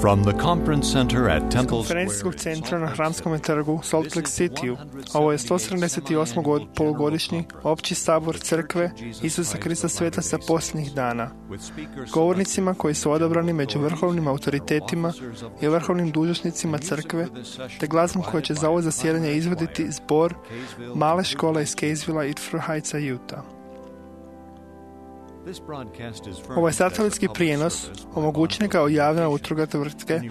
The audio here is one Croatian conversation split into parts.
From the conference center at Temple konferencijskog Square, centra na Hramskom trgu Salt Lake Cityu. Ovo je 178. polugodišnji opći sabor crkve Isusa Krista Svetaca posljednjih dana. Govornicima koji su odabrani među vrhovnim autoritetima i vrhovnim dužnosnicima crkve, te glazbom koje će za ovo zasjedanje izvoditi zbor male škole iz Kaysvilla i Fur Heightsa, Utah. Ovaj satelitski prijenos omogućen ga javna utruga tvrtke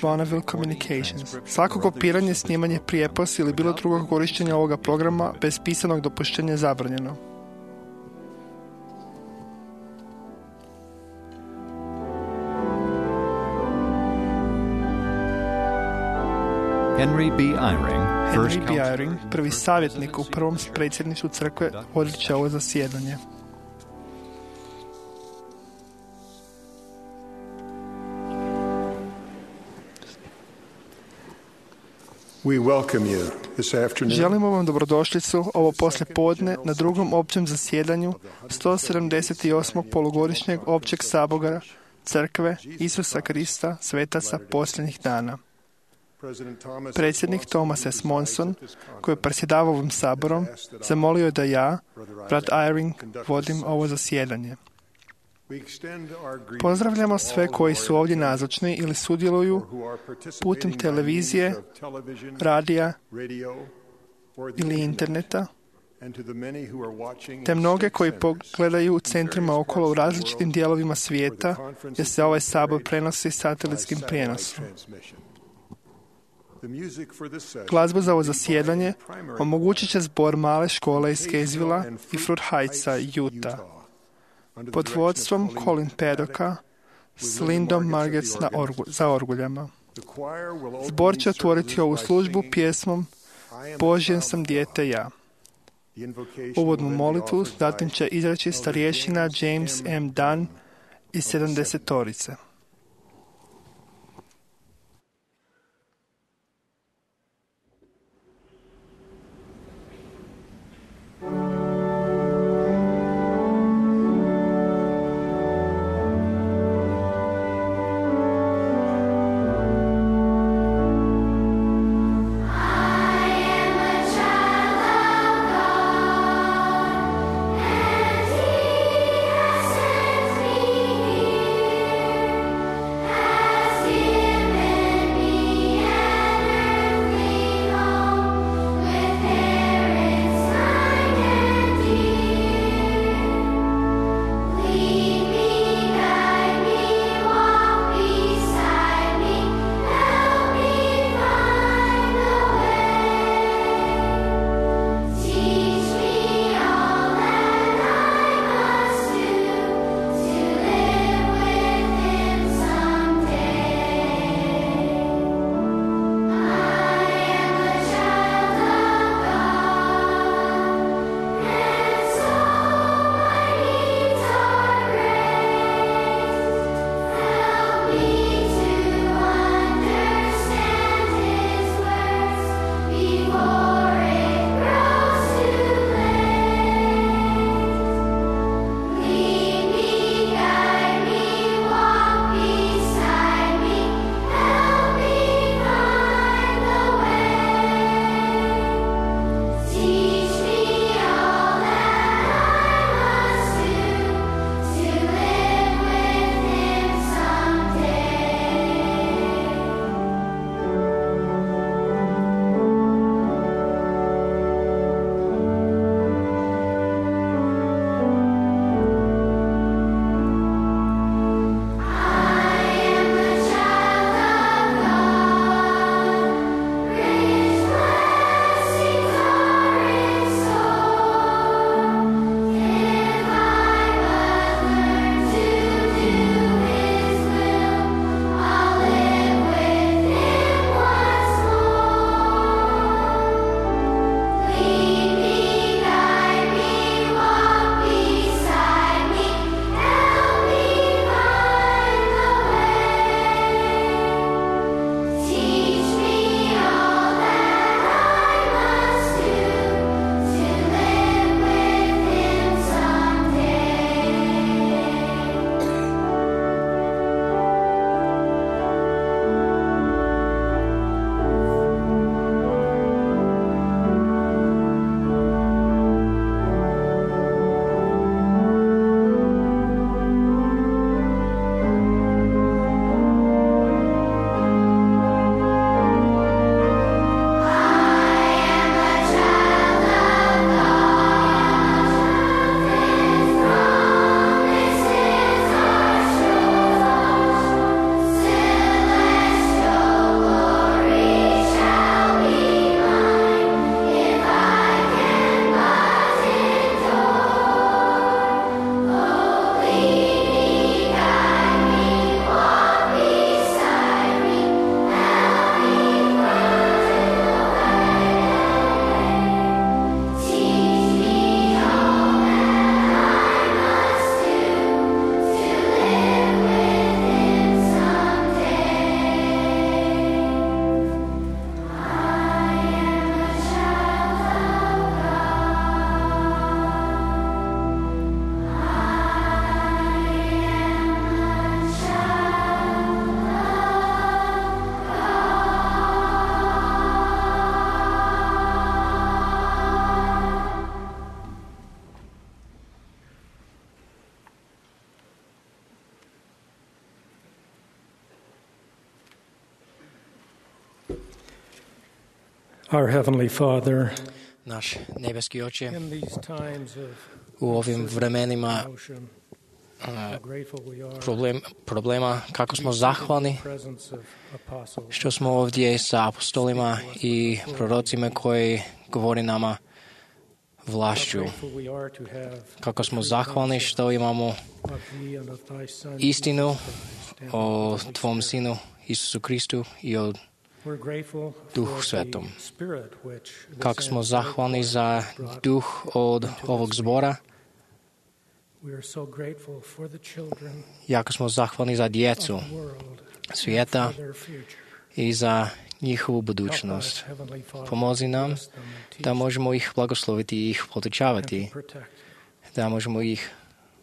Bonneville Communications. Svako kopiranje, snimanje, prijepos ili bilo drugog korištenja ovoga programa bez pisanog dopuštenja je zabranjeno. Henry B. Eyring, prvi savjetnik u prvom predsjedništvu crkve, vodit će ovo zasjedanje. Želimo vam dobrodošlicu ovo poslijepodne na drugom općem zasjedanju 178. polugodišnjeg općeg sabora crkve Isusa Krista Svetaca posljednjih dana. Predsjednik Thomas S. Monson, koji je predsjedavao ovim saborom, zamolio je da ja, brat Eyring, vodim ovo zasjedanje. Pozdravljamo sve koji su ovdje nazočni ili sudjeluju putem televizije, radija ili interneta, te mnoge koji pogledaju u centrima okolo u različitim dijelovima svijeta gdje se ovaj sabor prenosi satelitskim prijenosom. Glazbu za ovo zasjedanje omogućit će zbor male škole iz Kaysvilla i Fur Heightsa, Utah, pod vodstvom Colin Paddocka s Lindom Margetts za orguljama. Zbor će otvoriti ovu službu pjesmom Božje sam dijete ja. Uvodnu molitvu zatim će izreći starješina James M. Dunn iz 70-torice. He has sent me here. Our Heavenly Father, Naš nebeski Oče, in these times of u ovim vremenima emotion, how grateful we are problema, kako smo zahvalni in the presence of apostles, što smo ovdje sa apostolima i prorocima koji govori nama vlašću. grateful we are to have Kako smo zahvalni što imamo of thee and of thy Son, istinu Jesus Christ, and o the Holy Tvom Spirit. Sinu Isusu Kristu i o We're grateful Duhu for Svetom. the Spirit which this kako smo ancestral zahvalni choir za brought duh od into ovog this zbora, We are so grateful for the children jako smo zahvalni za of djecu the world svijeta and for their future. i za njihovu Help us, budućnost. Heavenly Father, Pomozi nam bless them and teach da možemo ih blagosloviti i ih them and podučavati, to protect. da možemo ih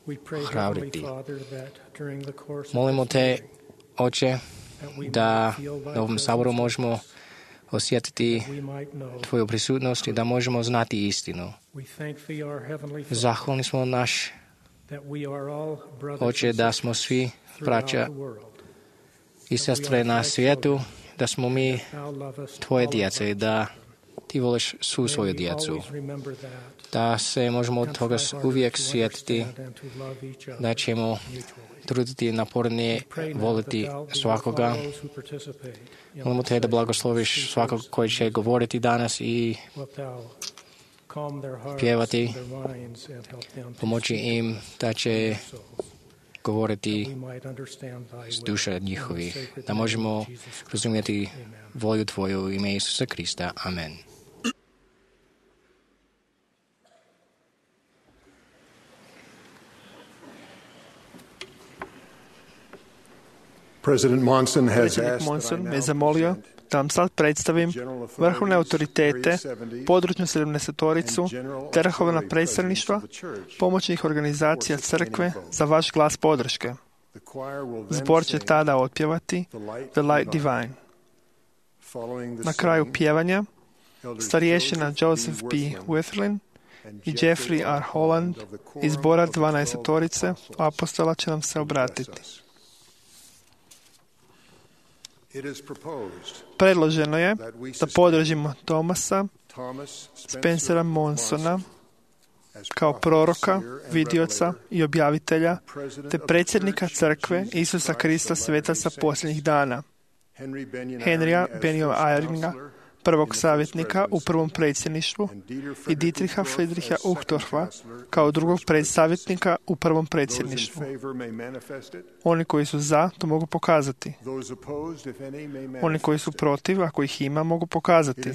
We pray, ohrabriti. Heavenly Father, that during the course of Molimo this te, meeting, Oče, that we da might feel thy na ovom saboru presence možemo with us, osjetiti that we might know. Tvoju prisutnost i da možemo znati istinu. We thank thee, our Heavenly Father, Zahvalni smo naš that we are all brothers Oče and da sisters smo svi throughout braća the world. i sestre na svijetu, da smo mi Thou lovest Tvoje all of djece i us. da Ti voliš svu May svoju we djecu. always remember that Da se možemo od and toga try harder uvijek to sjetiti, understand and to love each other da ćemo mutually. truditi napornije We pray now voliti that thou bless svakoga. all those who participate in Molimo this Te da session. blagosloviš svakog koji će govoriti danas i Wilt thou calm their hearts pjevati, and their minds and help them to pomoći speak im da će their souls, govoriti that we might understand thy s will. duša In the njihovih, sacred da name možemo of Jesus Christ. razumjeti Amen. volju Tvoju u ime Isusa Krista. Amen. Predsjednik Monson me zamolio da vam sad predstavim vrhovne autoritete, područnu 70-toricu, te vrhovna predstavništva, pomoćnih organizacija crkve za vaš glas podrške. Zbor će tada otpjevati The Light Divine. Na kraju pjevanja starješina Joseph B. Witherlin i Jeffrey R. Holland iz zbora 12-torice apostola će nam se obratiti. Predloženo je da podržimo Thomasa Spencera Monsona kao proroka, vidioca i objavitelja, te predsjednika crkve Isusa Krista svetaca posljednjih dana, Henrya Benioa Eyringa, prvog savjetnika u prvom predsjedništvu, i Dietricha Friedricha Uchtdorfa kao drugog savjetnika u prvom predsjedništvu. Oni koji su za, to mogu pokazati. Oni koji su protiv, ako ih ima, mogu pokazati.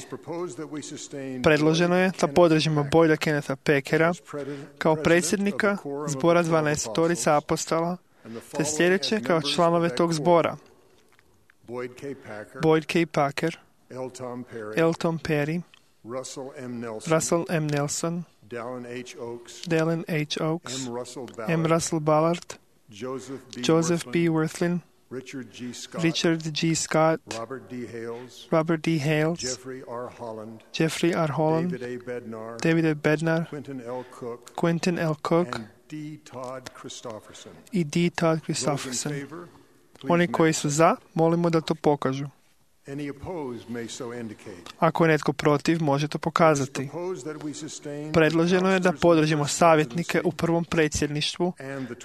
Predloženo je da podržimo Boyda Kennetha Packera kao predsjednika zbora 12-torica apostola, te sljedeće kao članove tog zbora: Boyd K. Packer, L. Tom Perry, Russell M. Nelson, Dallin H. Oaks, M. Russell Ballard, Joseph B. Worthlin, Richard G. Scott, Robert D. Hales, Jeffrey R. Holland, David A. Bednar, Quentin L. Cook i D. Todd Christofferson. Oni koji su za, molimo da to pokažu. Ako je netko protiv, može to pokazati. Predloženo je da podržimo savjetnike u prvom predsjedništvu,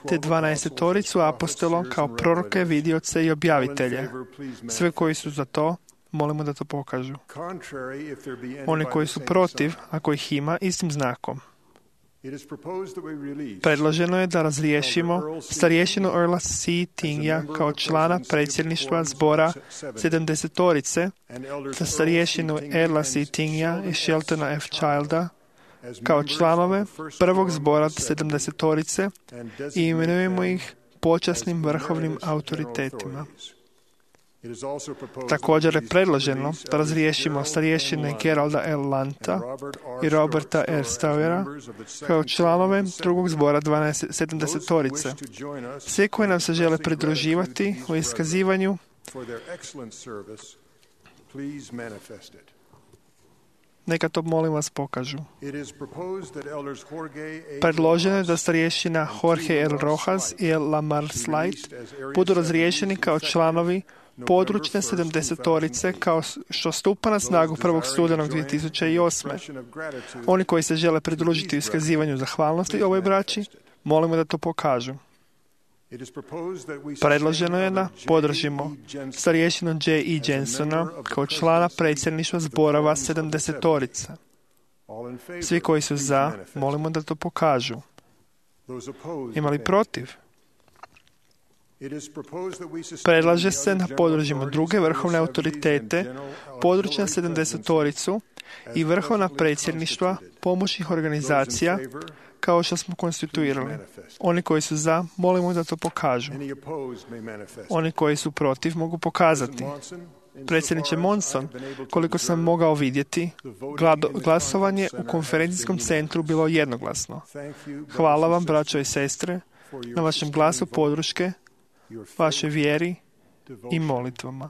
te 12-toricu apostola kao proroke, vidioce i objavitelje. Sve koji su za to, molimo da to pokažu. Oni koji su protiv, ako ih ima, istim znakom. Predloženo je da razriješimo starješinu Earla C. Tingja kao člana predsjedništva zbora 70-torice, te starješinu Erla C. Tingja i Sheltona F. Childa kao članove prvog zbora 70-torice i imenujemo ih počasnim vrhovnim autoritetima. Također je predloženo da razriješimo starješine Geralda L. Lanta i Roberta R. Stauera kao članove drugog zbora 70-torice. Svi koji nam se žele pridruživati u iskazivanju Neka to molim vas pokažu. Predloženo je da starješina Jorge L. Rojas i L. Lamar Slight budu razriješeni kao članovi područne 70-torice kao što stupa na snagu 1. studenog 2008. Oni koji se žele pridružiti iskazivanju zahvalnosti ovoj braći, molimo da to pokažu. Predloženo je da podržimo starješinu J. E. Jensona kao člana predsjedništva zborova 70-torice. Svi koji su za, molimo da to pokažu. Ima li protiv? Predlaže se da podržimo druge vrhovne autoritete, područna 70-toricu i vrhovna predsjedništva pomoćnih organizacija kao što smo konstituirali. Oni koji su za, molimo da to pokažu. Oni koji su protiv mogu pokazati. Predsjedniče Monson, koliko sam mogao vidjeti, glasovanje u konferencijskom centru bilo jednoglasno. Hvala vam, braćo i sestre, na vašem glasu podrške, vašoj vjeri i molitvama.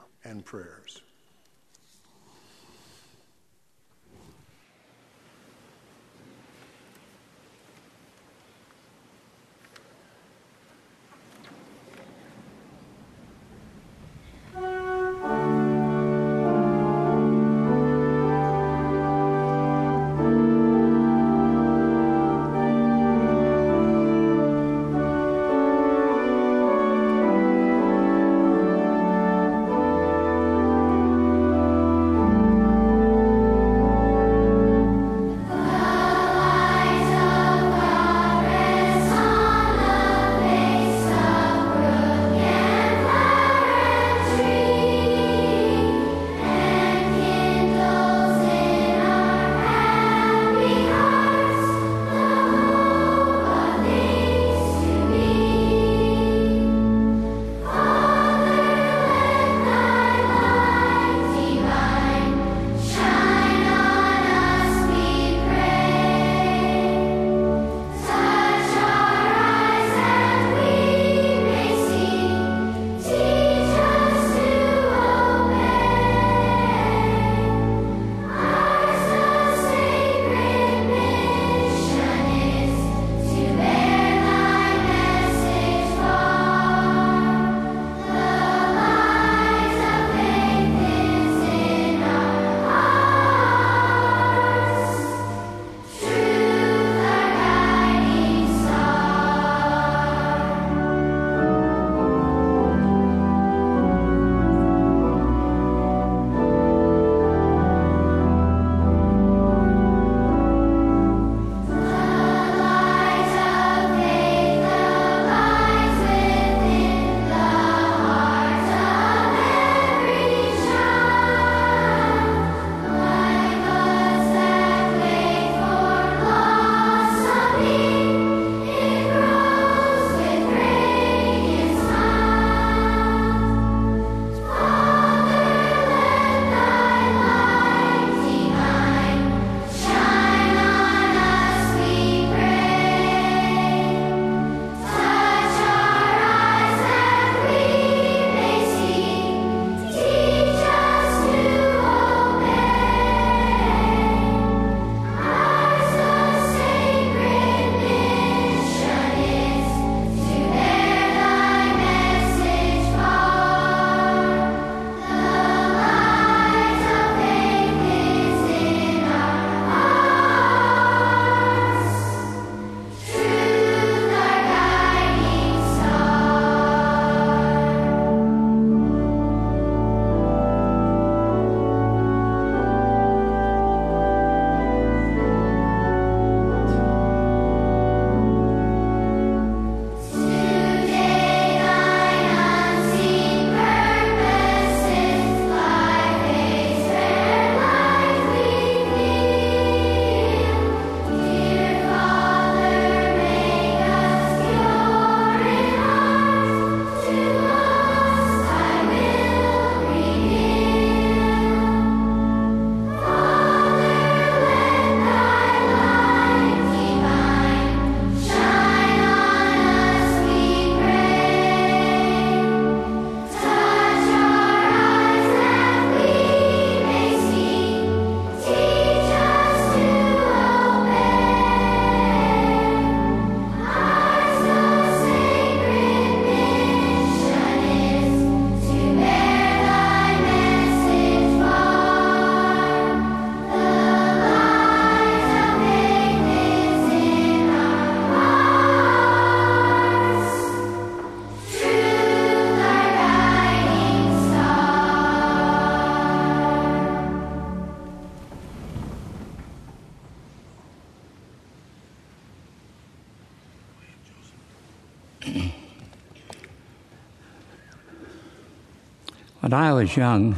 When I was young,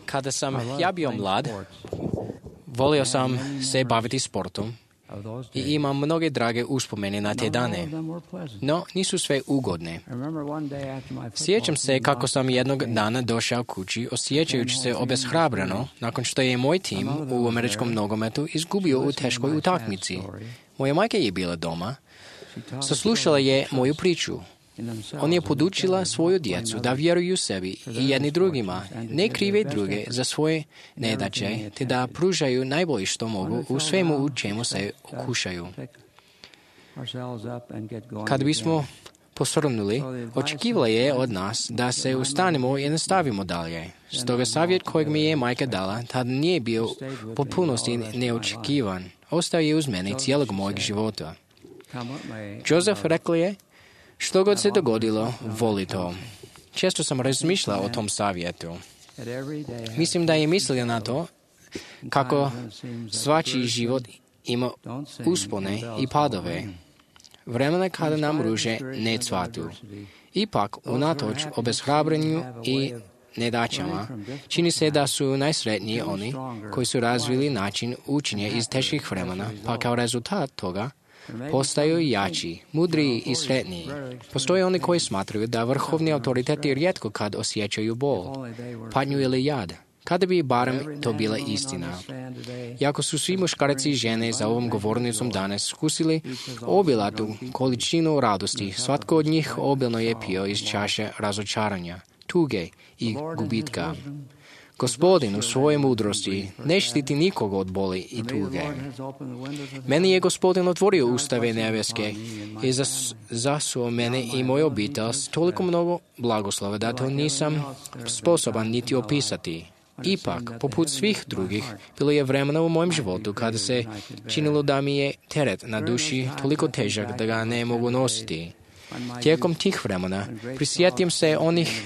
Kada sam ja bio mlad, volio sam se baviti sportom i imam mnoge drage uspomene na te dane, no nisu sve ugodne. Sjećam se kako sam jednog dana došao kući osjećajući se obeshrabreno nakon što je moj tim u američkom nogometu izgubio u teškoj utakmici. Moja majka je bila doma, saslušala je moju priču. On je podučila svoju djecu da vjeruju sebi i jedni drugima, ne krive druge za svoje nedaće, te da pružaju najbolje što mogu u svemu u čemu se okušaju. Kad bismo posrnuli, očekivala je od nas da se ustanemo i nastavimo dalje. Stoga savjet kojeg mi je majka dala tada nije bio u potpunosti neočekivan. Ostao je uz mene cijelog mojeg života. Joseph rekla je, što god se dogodilo, voli to. Često sam razmišljala o tom savjetu. Mislim da je mislila na to kako svačiji život ima uspone i padove. Vremena kada nam ruže ne cvatu. Ipak, unatoč obeshrabrenju i nedaćama, čini se da su najsretniji oni koji su razvili način učenja iz teških vremena, pa kao rezultat toga postaju jači, mudriji i sretniji. Postoje oni koji smatraju da vrhovni autoriteti rijetko kad osjećaju bol, patnju ili jad. Kada bi barem to bila istina. Iako su svi muškarci i žene za ovom govornicom danas skusili obilatu količinu radosti, svatko od njih obilno je pio iz čaše razočaranja, tuge i gubitka. Gospodin u svojoj mudrosti ne štiti nikoga od boli i tuge. Meni je Gospodin otvorio ustave nebeske i zasuo mene i moju obitelj s toliko mnogo blagoslova da to nisam sposoban niti opisati. Ipak, poput svih drugih, bilo je vremena u mojem životu kada se činilo da mi je teret na duši toliko težak da ga ne mogu nositi. Tijekom tih vremena prisjetim se onih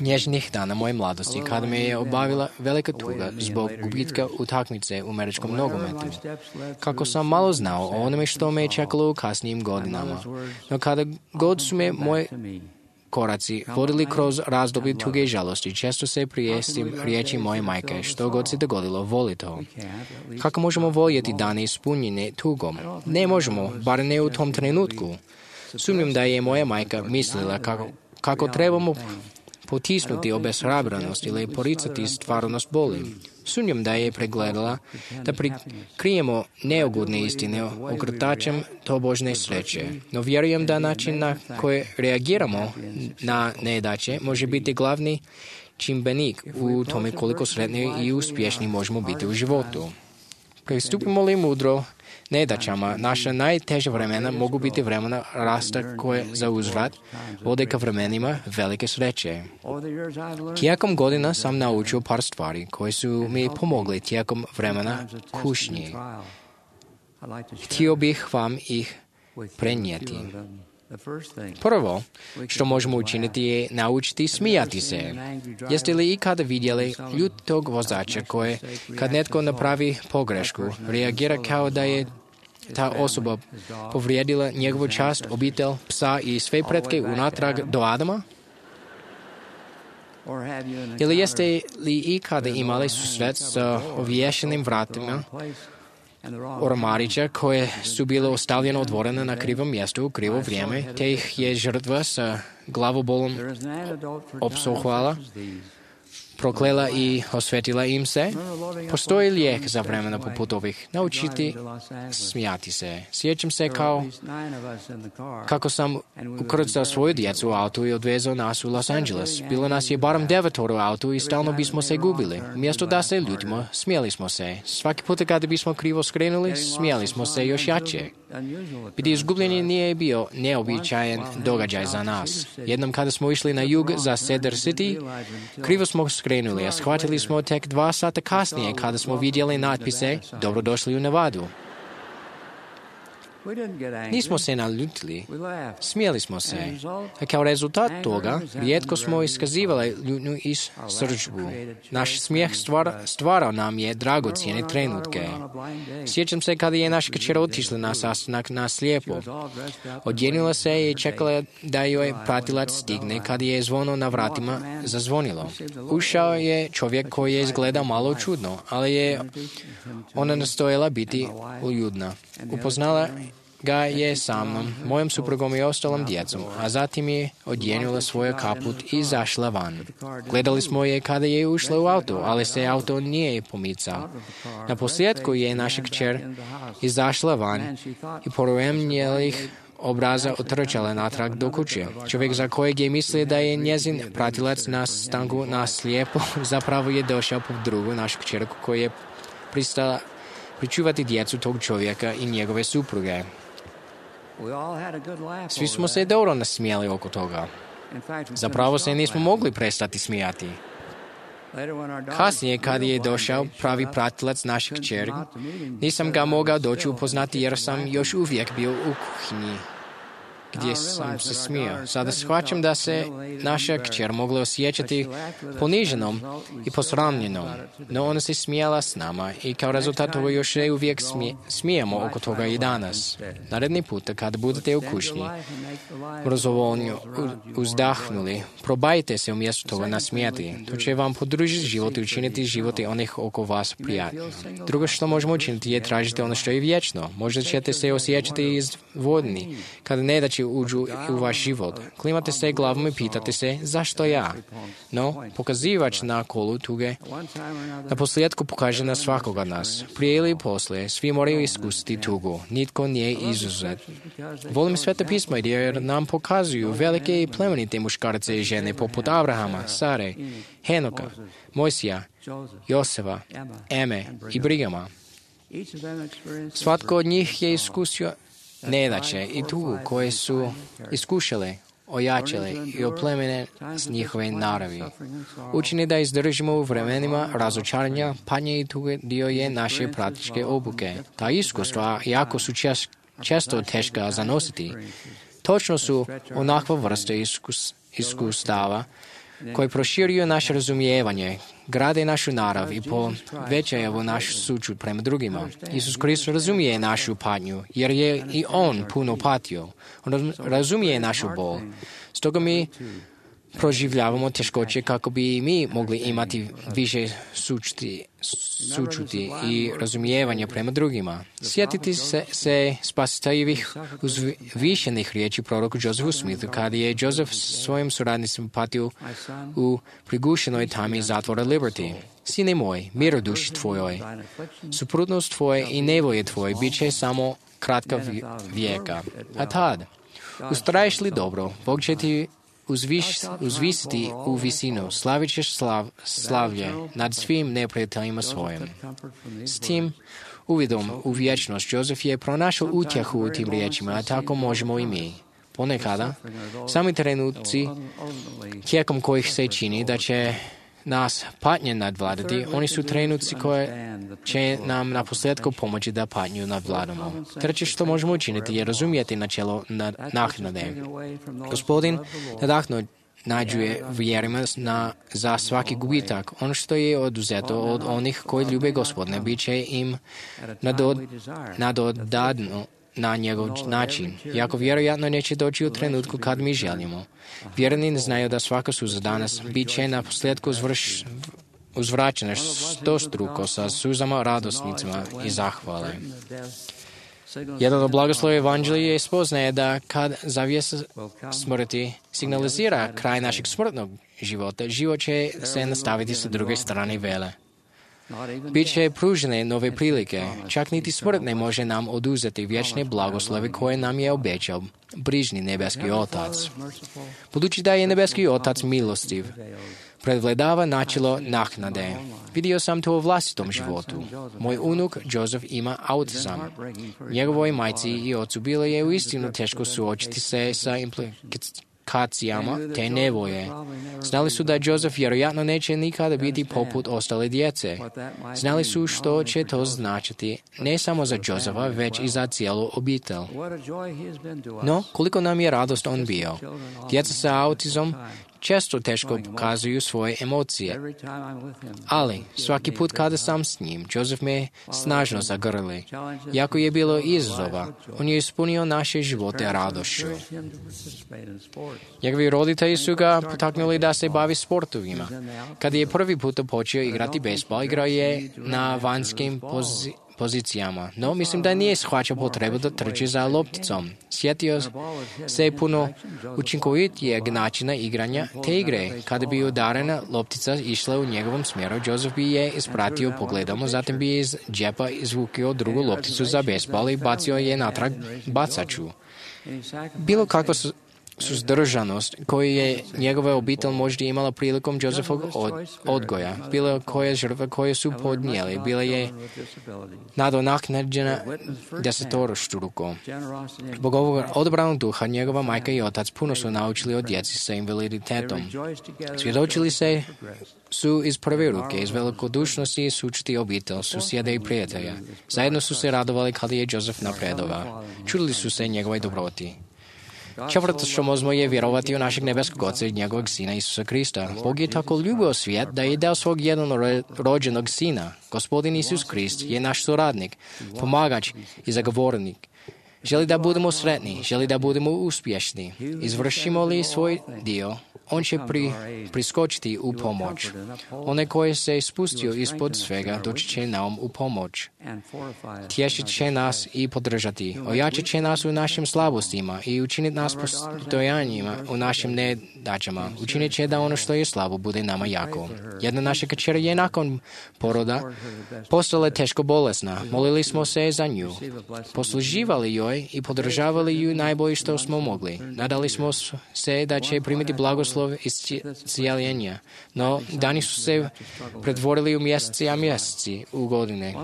nježnih dana moje mladosti kada me je obavila velika tuga zbog gubitka utakmice u američkom nogometu. Kako sam malo znao o onome što me je čekalo u kasnijim godinama, no kada god su me moje koraci vodili kroz razdoblje tuge i žalosti, često se prijestim riječi moje majke, što god se dogodilo, voli to. Kako možemo voljeti dane ispunjene tugom? Ne možemo, bar ne u tom trenutku. Sumnjam da je moja majka mislila kako trebamo potisnuti obeshrabrenost ili poricati stvarnost boli. Sumnjam da je pregledala da prikrijemo neugodne istine ogrtačem tobožne sreće. No vjerujem da način na koji reagiramo na nedaće može biti glavni čimbenik u tome koliko sretni i uspješni možemo biti u životu. Pristupimo li mudro nedaćama, naša najteža vremena mogu biti vremena rasta koje za uzvrat vode ka vremenima velike sreće. Tijekom godina sam naučio par stvari koje su mi pomogli tijekom vremena kušnji. Htio bih vam ih prenijeti. Prvo što možemo učiniti je naučiti smijati se. Jeste li ikada vidjeli ljutog vozača koji, kad netko napravi pogrešku, reagira kao da je ta osoba povrijedila njegovu čast, obitelj, psa i sve pretke unatrag do Adama? Ili jeste li ikada imali susret sa ovješenim vratima ormarića koje su bile ostavljene otvorene na krivom mjestu u krivo vrijeme, te ih je žrtva sa glavobolom opsohvala, proklela i osvetila im se? Postoji lijek za vremena poput ovih. Naučiti smijati se. Sjećam se kako sam ukrcao svoju djecu u autu i odvezao nas u Los Angeles. Bilo nas je barem 9 u autu i stalno bismo se gubili. Umjesto da se ljutimo, smijali smo se. Svaki put kada bismo krivo skrenuli, smijali smo se još jače. Biti izgubljenje nije bio neobičajen događaj za nas. Jednom kada smo išli na jug za Cedar City, krivo smo skrenuli, a shvatili smo tek 2 sata kasnije kada smo vidjeli natpise Dobrodošli u Nevadu. Nismo se naljutili, smijeli smo se, a kao rezultat toga rijetko smo iskazivali ljutnju i srdžbu. Naš smijeh stvarao nam je dragocjene trenutke. Sjećam se kada je naša kćer otišla na sastanak na slijepo. Odjenila se i čekala da joj pratilac stigne kada je zvono na vratima zazvonilo. Ušao je čovjek koji je izgledao malo čudno, ali je ona nastojala biti uljudna. Upoznala ga je sa mnom, mojom suprugom i ostalom djecom, a zatim je odjenula svoj kaput i izašla van. Gledali smo je kada je ušla u auto, ali se auto nije pomicao. Na posljedku je naša kćer izašla van i poremnjelih obraza otrčala natrag do kuće. Čovjek za kojeg je mislio da je njezin pratilac na stanku na slijepo zapravo je došao po drugu našu kćerku koja je pristala pričuvati djecu tog čovjeka i njegove supruge. Svi smo se dobro nasmijali oko toga. Zapravo se nismo mogli prestati smijati. Kasnije, kad je došao pravi pratilac našeg kćeri, nisam ga mogao doći upoznati jer sam još uvijek bio u kuhinji gdje sam se smijao. Sada shvaćam da se naša kćer mogla osjećati poniženom i posramljenom, no ona se smijala s nama i kao rezultat toga još uvijek smijemo oko toga i danas. Naredni puta kad budete u kušnji, prozovoljno uzdahnuli, probajte se umjesto toga nasmijati. To će vam podružiti život i učiniti životi onih oko vas prijatno. Drugo što možemo učiniti je tražiti ono što je vječno. Možda ćete se osjećati izvodni kada ne da će uđu u vaš život. Klimate se glavom i pitate se zašto ja? No, pokazivač na kolu tuge na posljedku pokaže na svakoga nas. Prije ili poslije, svi moraju iskusiti tugu. Nitko nije izuzet. Volim Sveto pismo jer nam pokazuju velike i plemenite muškarce i žene poput Abrahama, Sare, Henoka, Mojsija, Joseva, Eme i Brigama. Svatko od njih je iskusio nedaće i tugu koje su iskušale, ojačale i oplemene s njihove naravi. Učini da izdržimo u vremenima razočaranja, patnje i tuge dio je naše praktičke obuke. Ta iskustva jako su često teška zanositi. Točno su onakva vrsta iskustava koji proširuju naše razumijevanje, grade našu narav i povećaju našu sućut prema drugima. Isus Kristus razumije našu patnju, jer je i On puno patio. On razumije našu bol. Stoga mi proživljavamo teškoće kako bi mi mogli imati više sućuti i razumijevanja prema drugima. Sjetiti se spasiteljevih uzvišenih riječi proroku Josefu Smithu, kada je Joseph svojim suradnicima patio u prigušenoj tami zatvora Liberty. Sine moj, mir u duši tvojoj, suprotnost tvoje i nevolje tvoje bit će samo kratka vijeka. A tad, ustraješ li dobro, Bog će ti uzvisiti u visinu, slavit ćeš slavlje nad svim neprijateljima svojim. S tim uvidom u vječnost Josef je pronašao utjehu u tim riječima, a tako možemo i mi. Ponekada, sami trenutci tijekom kojih se čini da će nas patnje nadvladati, oni su trenutci koje će nam na posljedku pomoći da patnju nadvladamo. Treće što možemo učiniti je razumjeti načelo naknade. Gospodin nađuje vjerima za svaki gubitak. Ono što je oduzeto od onih koji ljube Gospodine, bit će im nadodano na njegov način. Jako vjerojatno neće doći u trenutku kad mi želimo. Vjerni znaju da svaka suza danas bit će na posljedku uzvraćena stostruko sa suzama, radosnicama i zahvale. Jedan od blagoslova evanđelja je spoznaje da kad zavjesa smrti signalizira kraj našeg smrtnog života, život će se nastaviti sa druge strane vele. Biće pružene nove prilike, čak niti smrt ne može nam oduzeti vječne blagoslove koje nam je obećao brižni nebeski Otac. Budući da je nebeski Otac milostiv, prevladava načelo naknade. Vidio sam to u vlastitom životu. Moj unuk Joseph ima autizam. Njegovoj majci i ocu bilo je uistinu teško suočiti se sa komplikacijama te nevolje. Znali su da Joseph vjerojatno neće nikada biti poput ostale djece. Znali su što će to značiti, ne samo za Josepha, već i za cijelu obitelj. No, koliko nam je radost on bio. Djeca sa autizmom često teško pokazuju svoje emocije. Ali, svaki put kada sam s njim, Joseph me snažno zagrli. Jako je bilo izazova, on je ispunio naše živote radošću. Njegovi roditelji su ga potaknuli da se bavi sportovima. Kada je prvi put počeo igrati bejsbol, igrao je na vanjskim pozicijama, no mislim da nije shvaćao potrebu da trči za lopticom. Sjetio se puno učinkovitijeg načina igranja te igre. Kada bi udarena loptica išla u njegovom smjeru, Joseph bi je ispratio pogledom, zatim bi iz džepa izvukio drugu lopticu za bejsbol i bacio je natrag bacaču. Bilo kakva suzdržanost koju je njegova obitelj možda imala prilikom Josephovog odgoja, bilo koje žrtve koje su podnijeli, bila je nadoknađena desetorostruko. Zbog ovog odabranog duha njegova majka i otac puno su naučili od djeci sa invaliditetom. Svjedočili su iz prve ruke, iz velikodušnosti sučiti obitelj, susjede i prijatelja. Zajedno su se radovali kada je Joseph napredovao. Čudili su se njegovoj dobroti. Čvrsto što možemo je vjerovati u našeg nebeskog Oca i njegovog Sina Isusa Krista. Bog je tako ljubio svijet da je dao svog jednorođenog Sina. Gospodin Isus Krist je naš suradnik, pomagač i zagovornik. Želi da budemo sretni, želi da budemo uspješni. Izvršimo li svoj dio, on će priskočiti u pomoć. Onaj koji se spustio ispod svega doći će nam u pomoć. Tješit će nas i podržati. Ojačat će nas u našim slabostima i učiniti nas postojanjima u našim nedaćama. Učinit će da ono što je slabo bude nama jako. Jedna naša kćer je nakon poroda postala teško bolesna. Molili smo se za nju. Posluživali joj i podržavali ju najbolje što smo mogli. Nadali smo se da će primiti blagoslov iscijeljenja. No, dani su se pretvorili u mjeseci u godine.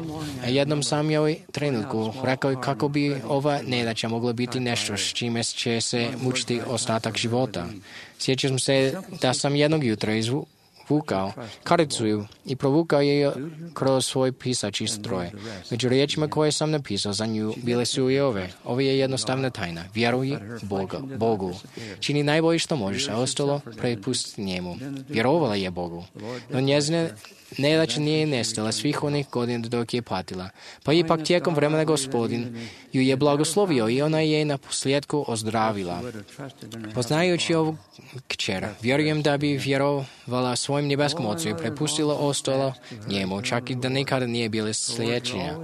A jednom sam joj trenutku rekao kako bi ova nedaća mogla biti nešto s čime će se mučiti ostatak života. Sjećam se da sam jednog jutra izvukao karicu i provukao je kroz svoj pisaći stroj. Među riječima koje sam napisao za nju bile su i ove. Ovo je jednostavna tajna. Vjeruj Bogu. Čini najbolje što možeš, a ostalo prepusti njemu. Vjerovala je Bogu. No njezine nedaća nije nestala svih onih godina dok je patila. Pa ipak tijekom vremena Gospodin ju je blagoslovio i ona je na posljedku ozdravila. Poznajući ovu kćer, vjerujem da bi vjerovala svojim nebeskom Ocu i prepustila ostalo njemu, čak i da nikada nije bila sliječenja.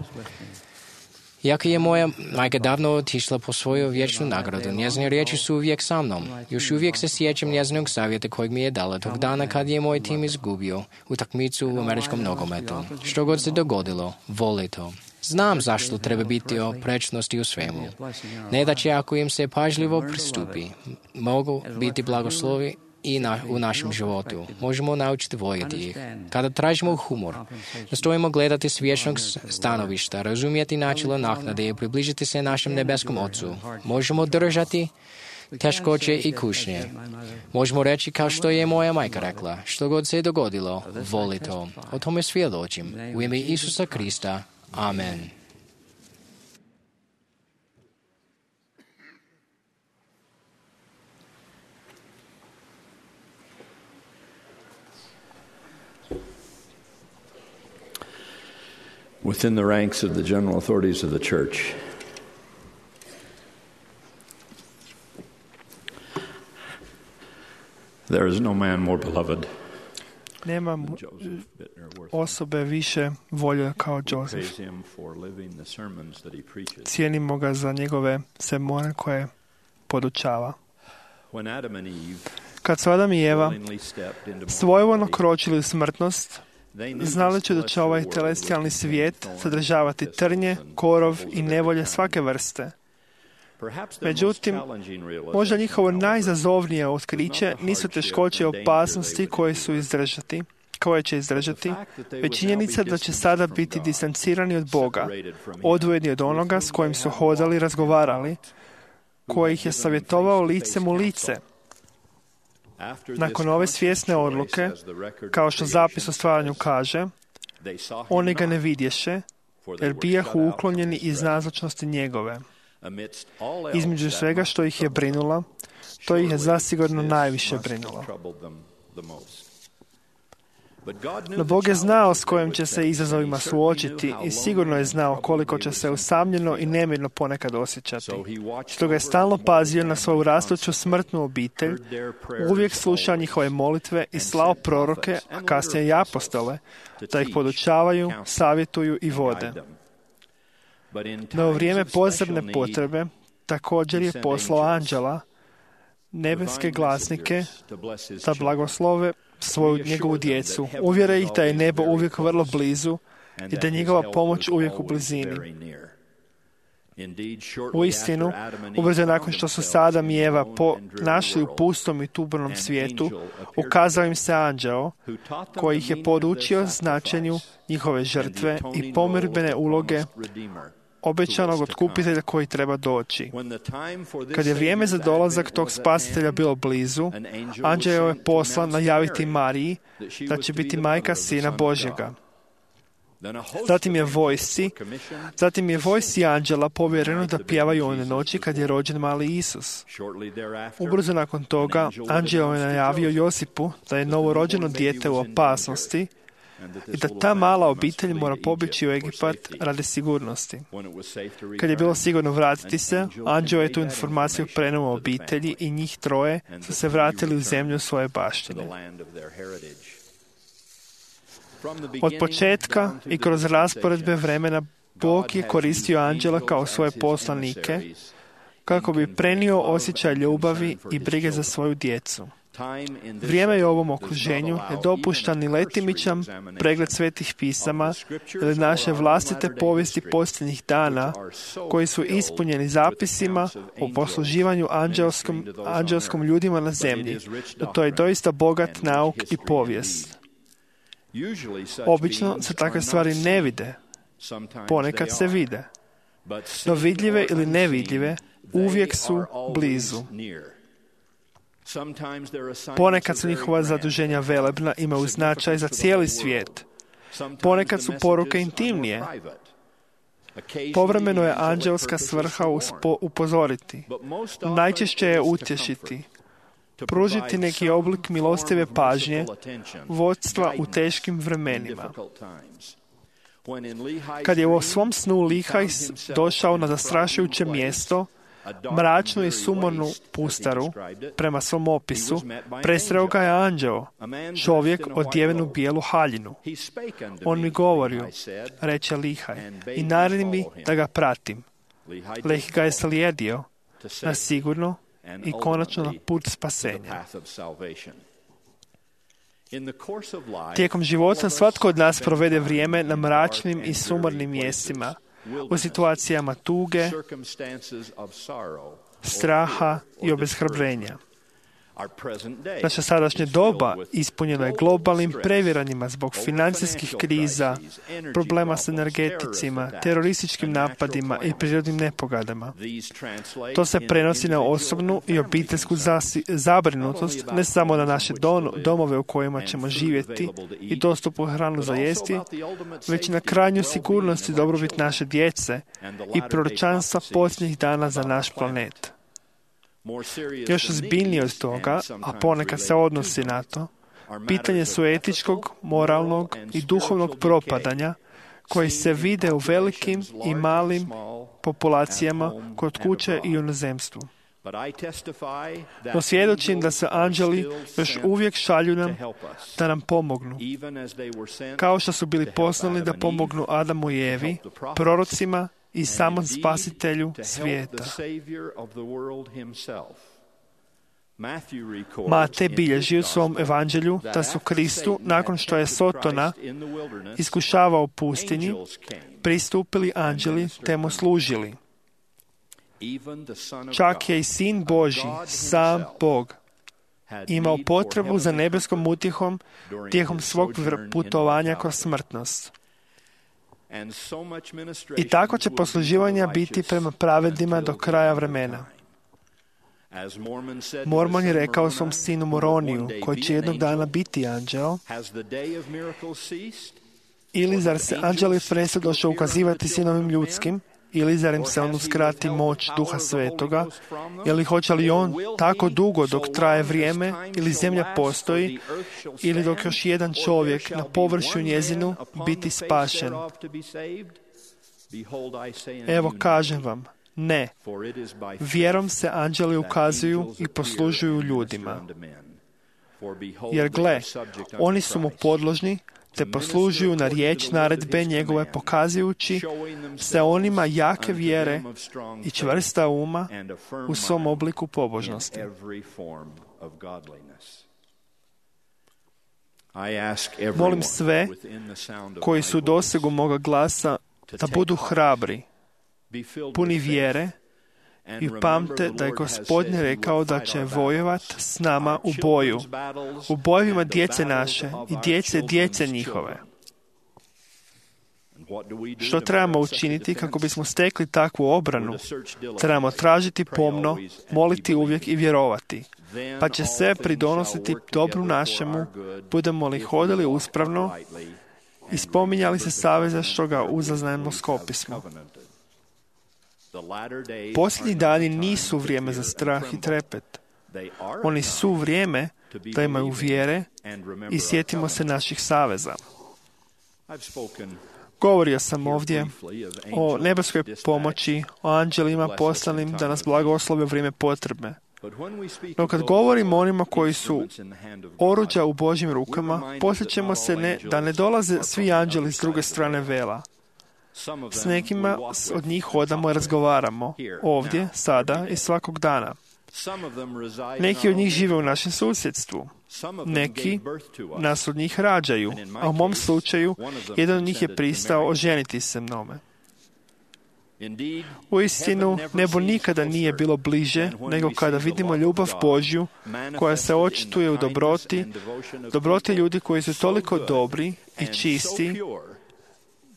Iako je moja majka davno otišla po svoju vječnu nagradu, njezine riječi su uvijek sa mnom. Još uvijek se sjećam njezinog savjeta kojeg mi je dala tog dana kad je moj tim izgubio utakmicu u američkom nogometu. Što god se dogodilo, voli to. Znam zašto treba biti oprečnosti u svemu. Ne da će ako im se pažljivo pristupi, mogu biti blagoslovi i u našem životu. Možemo naučiti voljeti ih. Kada tražimo humor, nastojimo gledati s vječnog stanovišta, razumjeti načelo naknade i približiti se našem nebeskom Ocu. Možemo držati teškoće i kušnje. Možemo reći kao što je moja majka rekla, što god se dogodilo, voli to. O tome svjedočim. U ime Isusa Krista. Amen. Within the ranks of the general authorities of the church, there is no man more beloved. Nema osobe više volje kao Joseph. Cijenimo ga za njegove sermone koje podučava. Kad su Adam i Eva svojevoljno kročili u smrtnost, znali će da će ovaj telestijalni svijet sadržavati trnje, korov i nevolje svake vrste. Međutim, možda njihovo najizazovnije otkriće nisu teškoće i opasnosti koje će izdržati, već činjenica da će sada biti distancirani od Boga, odvojeni od onoga s kojim su hodali i razgovarali, koji ih je savjetovao licem u lice. Nakon ove svjesne odluke, kao što zapis o stvaranju kaže, oni ga ne vidješe, jer bijahu uklonjeni iz nazočnosti njegove. Između svega što ih je brinula, to ih je zasigurno najviše brinulo. No Bog je znao s kojim će se izazovima suočiti i sigurno je znao koliko će se usamljeno i nemirno ponekad osjećati. Stoga je stalno pazio na svoju rastuću smrtnu obitelj, uvijek slušao njihove molitve i slao proroke, a kasnije i apostole, da ih podučavaju, savjetuju i vode. No u vrijeme posebne potrebe također je poslao anđela, nebeske glasnike, da blagoslove svoju njegovu djecu, uvjere ih da je nebo uvijek vrlo blizu i da je njegova pomoć uvijek u blizini. U istinu, ubrzo nakon što su se Adam i Eva našli u pustom i tubernom svijetu, ukazao im se anđeo koji ih je podučio značenju njihove žrtve i pomirbene uloge obećanog otkupitelja koji treba doći. Kad je vrijeme za dolazak tog spasitelja bilo blizu, anđeo je poslan najaviti Mariji da će biti majka Sina Božjega. Zatim je vojsci anđela povjereno da pjevaju one noći kad je rođen mali Isus. Ubrzo nakon toga, anđeo je najavio Josipu da je novorođeno dijete u opasnosti i da ta mala obitelj mora pobjeći u Egipat radi sigurnosti. Kad je bilo sigurno vratiti se, anđeo je tu informaciju prenuo obitelji i njih troje su se vratili u zemlju svoje baštine. Od početka i kroz rasporedbe vremena Bog je koristio anđela kao svoje poslanike kako bi prenio osjećaj ljubavi i brige za svoju djecu. Vrijeme je u ovom okruženju ne dopušta ni letimičan pregled svetih pisama ili naše vlastite povijesti posljednjih dana koji su ispunjeni zapisima o posluživanju anđelskom ljudima na zemlji. No to je doista bogat nauk i povijest. Obično se takve stvari ne vide, ponekad se vide, no vidljive ili nevidljive uvijek su blizu. Ponekad su njihova zaduženja velebna, imaju značaj za cijeli svijet. Ponekad su poruke intimnije. Povremeno je anđelska svrha upozoriti, najčešće je utješiti, pružiti neki oblik milostive pažnje, vodstva u teškim vremenima. Kad je u svom snu Lihaj došao na zastrašujuće mjesto, mračnu i sumornu pustaru, prema svom opisu, presreo ga je anđeo, čovjek odjeven u bijelu haljinu. On mi govorio, reče Lihaj, i naredi mi da ga pratim. Lih ga je slijedio na sigurno i konačno na put spasenja. Tijekom života svatko od nas provede vrijeme na mračnim i sumornim mjestima, u situacijama tuge, straha i obeshrabrenja. Naša sadašnje doba ispunjeno je globalnim previranjima zbog financijskih kriza, problema s energeticima, terorističkim napadima i prirodnim nepogodama. To se prenosi na osobnu i obiteljsku zabrinutost, ne samo na naše domove u kojima ćemo živjeti i dostupnu hranu za jesti, već na krajnju sigurnost i dobrobit naše djece i proročanstva posljednjih dana za naš planet. Još ozbiljnije od toga, a ponekad se odnosi na to, pitanje su etičkog, moralnog i duhovnog propadanja koji se vide u velikim i malim populacijama kod kuće i u inozemstvu. No svjedočim da se anđeli još uvijek šalju nam da nam pomognu, kao što su bili poslani da pomognu Adamu i Evi, prorocima i samom spasitelju svijeta. Matej bilježi u svom evanđelju da su Kristu, nakon što je Sotona iskušavao u pustinji, pristupili anđeli te mu služili. Čak je i Sin Božji, sam Bog, imao potrebu za nebeskom utjehom tijekom svog putovanja kroz smrtnost. I tako će posluživanja biti prema pravednima do kraja vremena. Mormon je rekao svom sinu Moroniju, koji će jednog dana biti anđel, ili zar se anđeli presto došao ukazivati sinovim ljudskim, ili zar im se on uskrati moć Duha Svetoga, ili hoće li on tako dugo dok traje vrijeme ili zemlja postoji, ili dok još jedan čovjek na površju njezinu biti spašen? Evo kažem vam, ne. Vjerom se anđeli ukazuju i poslužuju ljudima. Jer gle, oni su mu podložni, te poslužuju na riječ naredbe njegove, pokazujući se onima jake vjere i čvrsta uma u svom obliku pobožnosti. Molim sve koji su u dosegu moga glasa da budu hrabri, puni vjere i pamte da je Gospodin rekao da će vojovat s nama u boju, u bojevima djece naše i djece njihove. Što trebamo učiniti kako bismo stekli takvu obranu? Trebamo tražiti pomno, moliti uvijek i vjerovati, pa će sve pridonositi dobru našemu, budemo li hodili uspravno i spominjali se saveza što ga uzaznajemo skopismo. Posljednji dani nisu vrijeme za strah i trepet. Oni su vrijeme da imaju vjere i sjetimo se naših saveza. Govorio sam ovdje o nebeskoj pomoći, o anđelima poslanim da nas blagoslove u vrijeme potrebe. No kad govorimo o onima koji su oruđa u Božjim rukama, posjećamo se da ne dolaze svi anđeli s druge strane vela. S nekima od njih hodamo i razgovaramo, ovdje, sada i svakog dana. Neki od njih žive u našem susjedstvu. Neki nas od njih rađaju, a u mom slučaju jedan od njih je pristao oženiti se mnome. Uistinu, nebo nikada nije bilo bliže nego kada vidimo ljubav Božju koja se očituje u dobroti ljudi koji su toliko dobri i čisti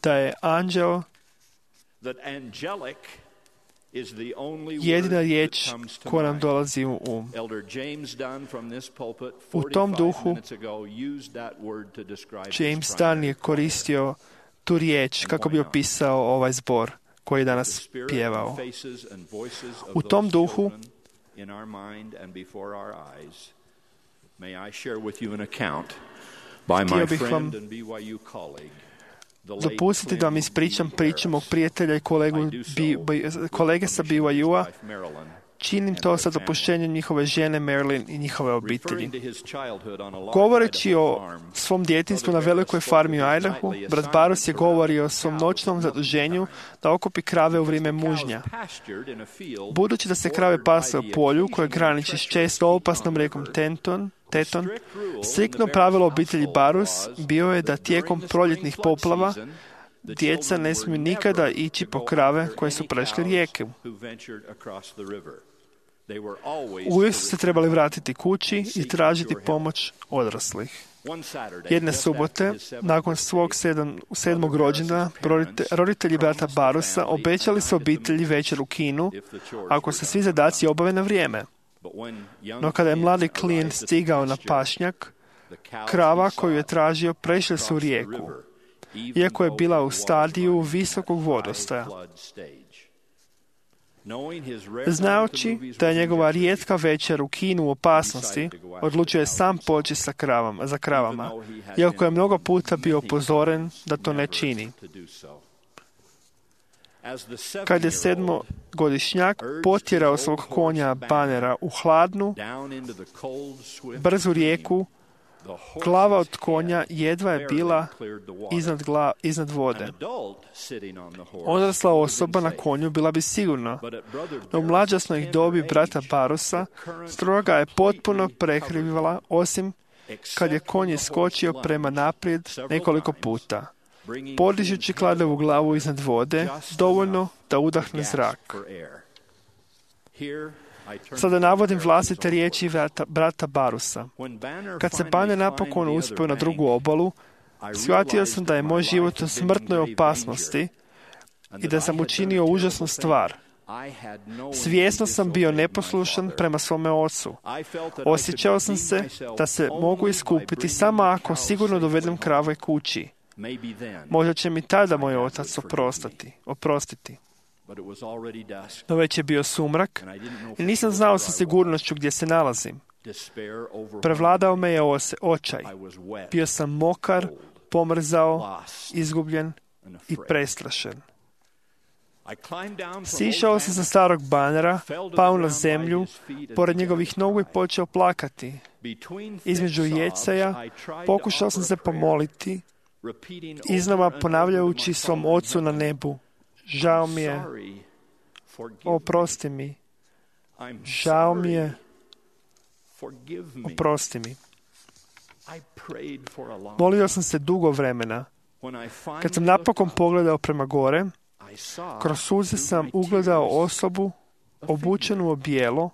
da je anđel jedina riječ koja nam dolazi u um. U tom duhu James Dunn je koristio tu riječ kako bi opisao ovaj zbor koji je danas pjevao. U tom duhu htio bih vam dopustiti da vam ispričam priču mog prijatelja i kolege sa BYU-a. Činim to sa dopuštenjem njihove žene Marilyn i njihove obitelji. Govoreći o svom djetinjstvu na velikoj farmi u Idahu, brat Barus je govorio o svom noćnom zaduženju da okupi krave u vrijeme mužnja. Budući da se krave pase u polju koje graniči s često opasnom rijekom Teton, striktno pravilo obitelji Barus bio je da tijekom proljetnih poplava djeca ne smiju nikada ići po krave koje su prešli rijeku. Uvijek su se trebali vratiti kući i tražiti pomoć odraslih. Jedne subote, nakon svog 7. rođendana, roditelji brata Barusa obećali su obitelji večer u kinu ako se svi zadaci obave na vrijeme. No kada je mladi klijent stigao na pašnjak, krava koju je tražio prešla su rijeku, iako je bila u stadiju visokog vodostaja. Znajući da je njegova rijetka večer u kinu u opasnosti, odlučio je sam poći za kravama, iako je mnogo puta bio upozoren da to ne čini. Kad je 7-godišnjak potjerao svog konja Banera u hladnu, brzu rijeku, glava od konja jedva je bila iznad vode. Odrasla osoba na konju bila bi sigurna, no u mlađasnoj dobi brata Barusa stroga je potpuno prekrivala, osim kad je konj iskočio prema naprijed nekoliko puta, podižući kladevu glavu iznad vode, dovoljno da udahne zrak. Sada navodim vlastite riječi brata Barusa. Kad se Banner napokon uspio na drugu obalu, shvatio sam da je moj život u smrtnoj opasnosti i da sam učinio užasnu stvar. Svjesno sam bio neposlušan prema svome ocu. Osjećao sam se da se mogu iskupiti samo ako sigurno dovedem krave kući. Možda će mi tada moj otac oprostiti. No već je bio sumrak i nisam znao sa sigurnošću gdje se nalazim. Prevladao me je očaj. Bio sam mokar, pomrzao, izgubljen i prestrašen. Sišao sam sa starog banera, pao na zemlju, pored njegovih nogu i počeo plakati. Između jecaja pokušao sam se pomoliti, iznova ponavljajući svom ocu na nebu: žao mi je, oprosti mi, žao mi je, oprosti mi. Molio sam se dugo vremena. Kad sam napokon pogledao prema gore, kroz suze sam ugledao osobu obučenu u bijelo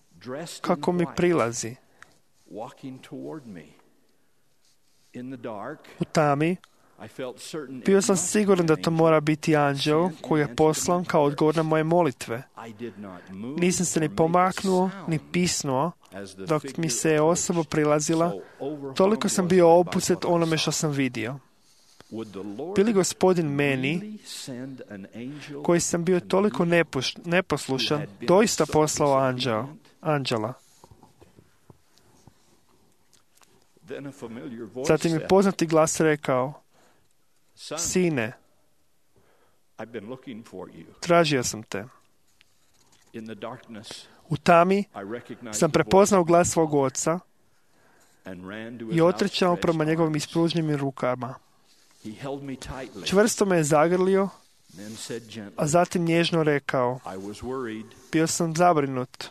kako mi prilazi. U tami bio sam siguran da to mora biti anđeo koji je poslan kao odgovor na moje molitve. Nisam se ni pomaknuo, ni pisnuo dok mi se osoba prilazila. Toliko sam bio opustet onome što sam vidio. Bi li Gospodin meni, koji sam bio toliko neposlušan, doista poslao anđela? Zatim mi poznati glas rekao: sine, tražio sam te. U tami sam prepoznao glas svog oca i otrčao prema njegovim ispruženim rukama. Čvrsto me je zagrlio, a zatim nježno rekao: bio sam zabrinut.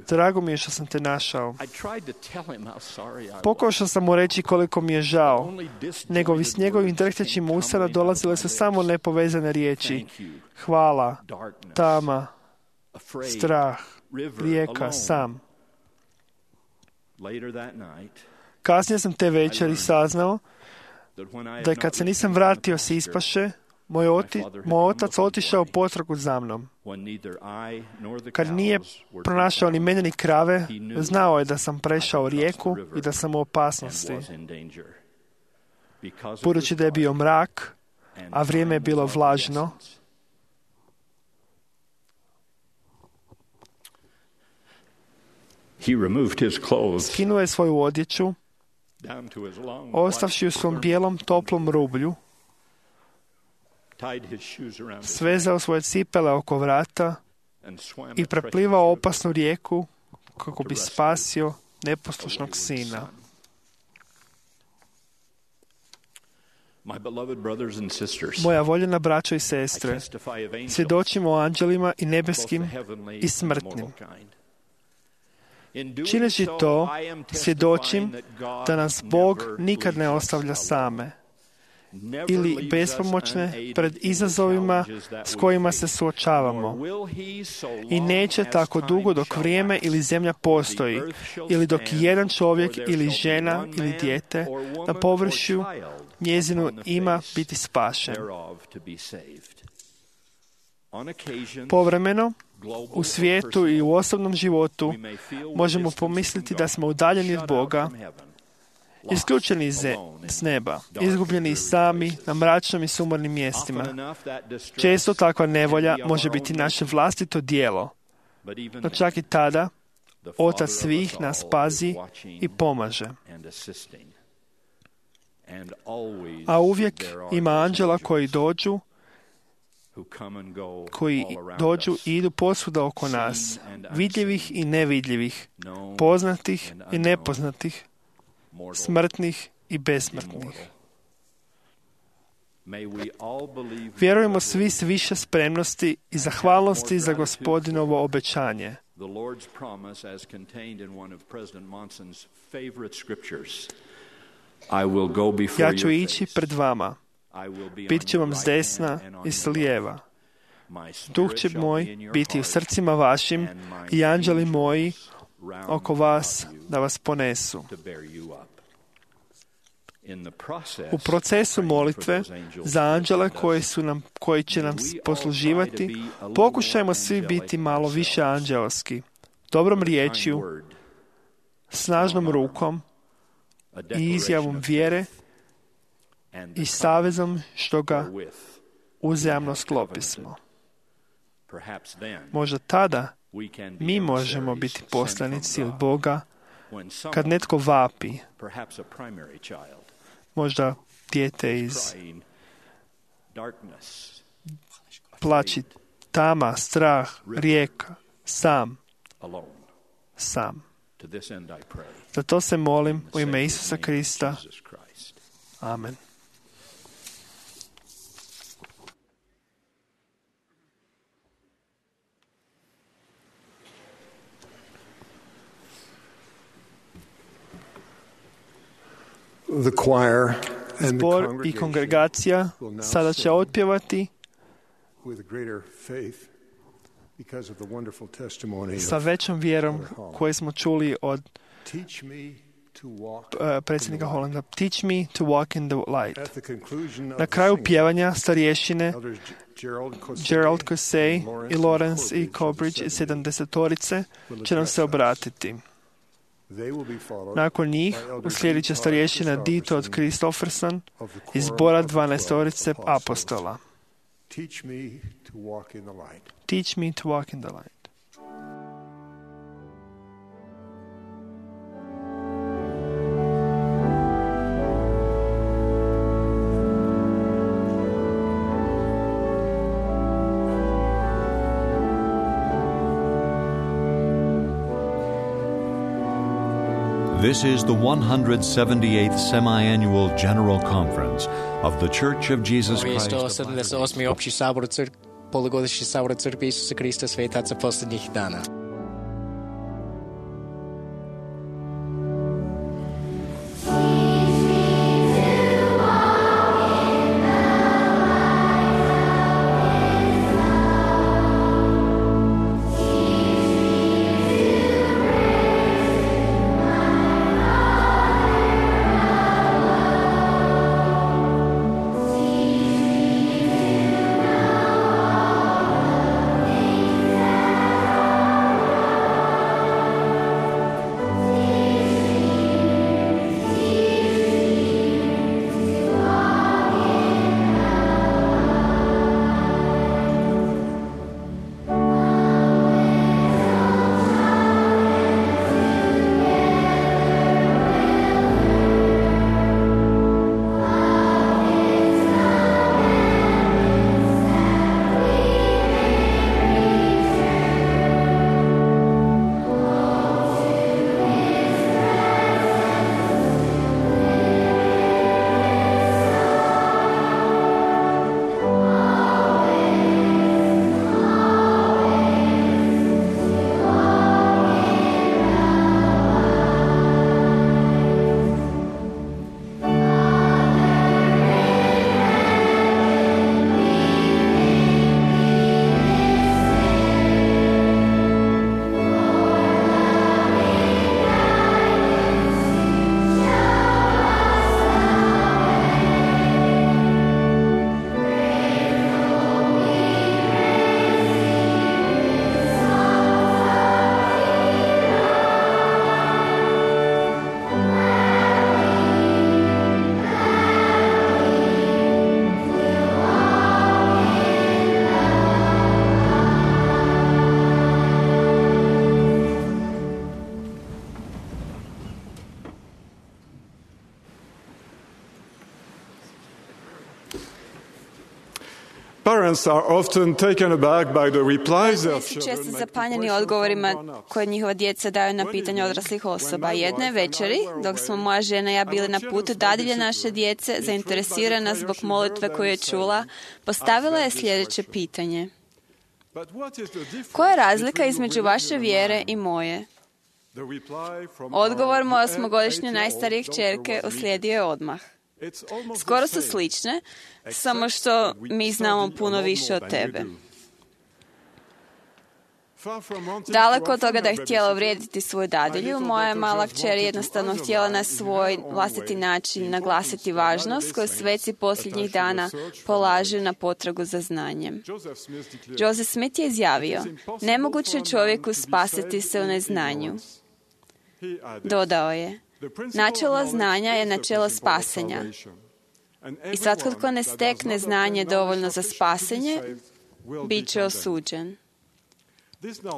Drago mi je što sam te našao. Pokušao sam mu reći koliko mi je žao. S njegovim drhtećim usana dolazile su samo nepovezane riječi: hvala, tama, strah, rijeka, sam. Kasnije sam te večeri saznao da kad se nisam vratio s ispaše, moj otac otišao potragu za mnom. Kad nije pronašao ni mene ni krave, znao je da sam prešao rijeku i da sam u opasnosti. Budući da je bio mrak, a vrijeme je bilo vlažno, skinuo je svoju odjeću, ostavši u svom bijelom toplom rublju, svezao svoje cipele oko vrata i preplivao opasnu rijeku kako bi spasio neposlušnog sina. Moja voljena braćo i sestre, svjedočimo o anđelima i nebeskim i smrtnim. Čineći to, svjedočim da nas Bog nikad ne ostavlja same ili bespomoćne pred izazovima s kojima se suočavamo. I neće tako dugo dok vrijeme ili zemlja postoji, ili dok jedan čovjek ili žena ili dijete na površju njezinu ima biti spašen. Povremeno, u svijetu i u osobnom životu možemo pomisliti da smo udaljeni od Boga, isključeni s neba, izgubljeni sami na mračnim i sumornim mjestima. Često takva nevolja može biti naše vlastito djelo, no čak i tada Otac svih nas pazi i pomaže. A uvijek ima anđela koji dođu i idu posvuda oko nas, vidljivih i nevidljivih, poznatih i nepoznatih, smrtnih i besmrtnih. Vjerujemo svi s više spremnosti i zahvalnosti za Gospodinovo obećanje. Ja ću ići pred vama, bit će vam s desna i s lijeva. Duh će moj biti u srcima vašim i anđeli moji oko vas da vas ponesu. U procesu molitve za anđele koji će nam posluživati, pokušajmo svi biti malo više anđelski, dobrom riječju, snažnom rukom i izjavom vjere i savezom što ga uzajamno sklopismo. Možda tada mi možemo biti poslanici od Boga kad netko vapi, možda dijete iz plaći, tama, strah, rijeka, sam. Za to se molim u ime Isusa Krista. Amen. Zbor i kongregacija sada će otpjevati sa većom vjerom koju smo čuli od predsjednika Holanda. Teach me to walk in the light. Na kraju pjevanja starješine Gerald Cosey i Lawrence i Cobridge iz 70-torice će nam se obratiti. Nakon njih uslijedit će starješina Dito od Christofferson iz zbora 12-torice apostola. Teach me to walk in the light. This is the 178th Semi-Annual General Conference of the Church of Jesus Christ. 178. opći sabor polugodišnji sabor Crkve Isusa Krista svetaca posljednjih dana. Roditelji su često zapanjeni odgovorima koje njihova djeca daju na pitanje odraslih osoba. Jedne večeri, dok smo moja žena i ja bili na putu dadilje naše djece, zainteresirana zbog molitve koju je čula, postavila je sljedeće pitanje. Koja je razlika između vaše vjere i moje? Odgovor moje 8-godišnje najstarije kćerke uslijedio je odmah. Skoro su slične, samo što mi znamo puno više od tebe. Daleko od toga da je htjela uvrijediti svoju dadilju, moja mala kćer jednostavno htjela na svoj vlastiti način naglasiti važnost koju sveci posljednjih dana polažu na potragu za znanjem. Joseph Smith je izjavio, nemoguće je čovjeku spasiti se u neznanju. Dodao je, načelo znanja je načelo spasenja. I svatko tko ne stekne znanje dovoljno za spasenje, bit će osuđen.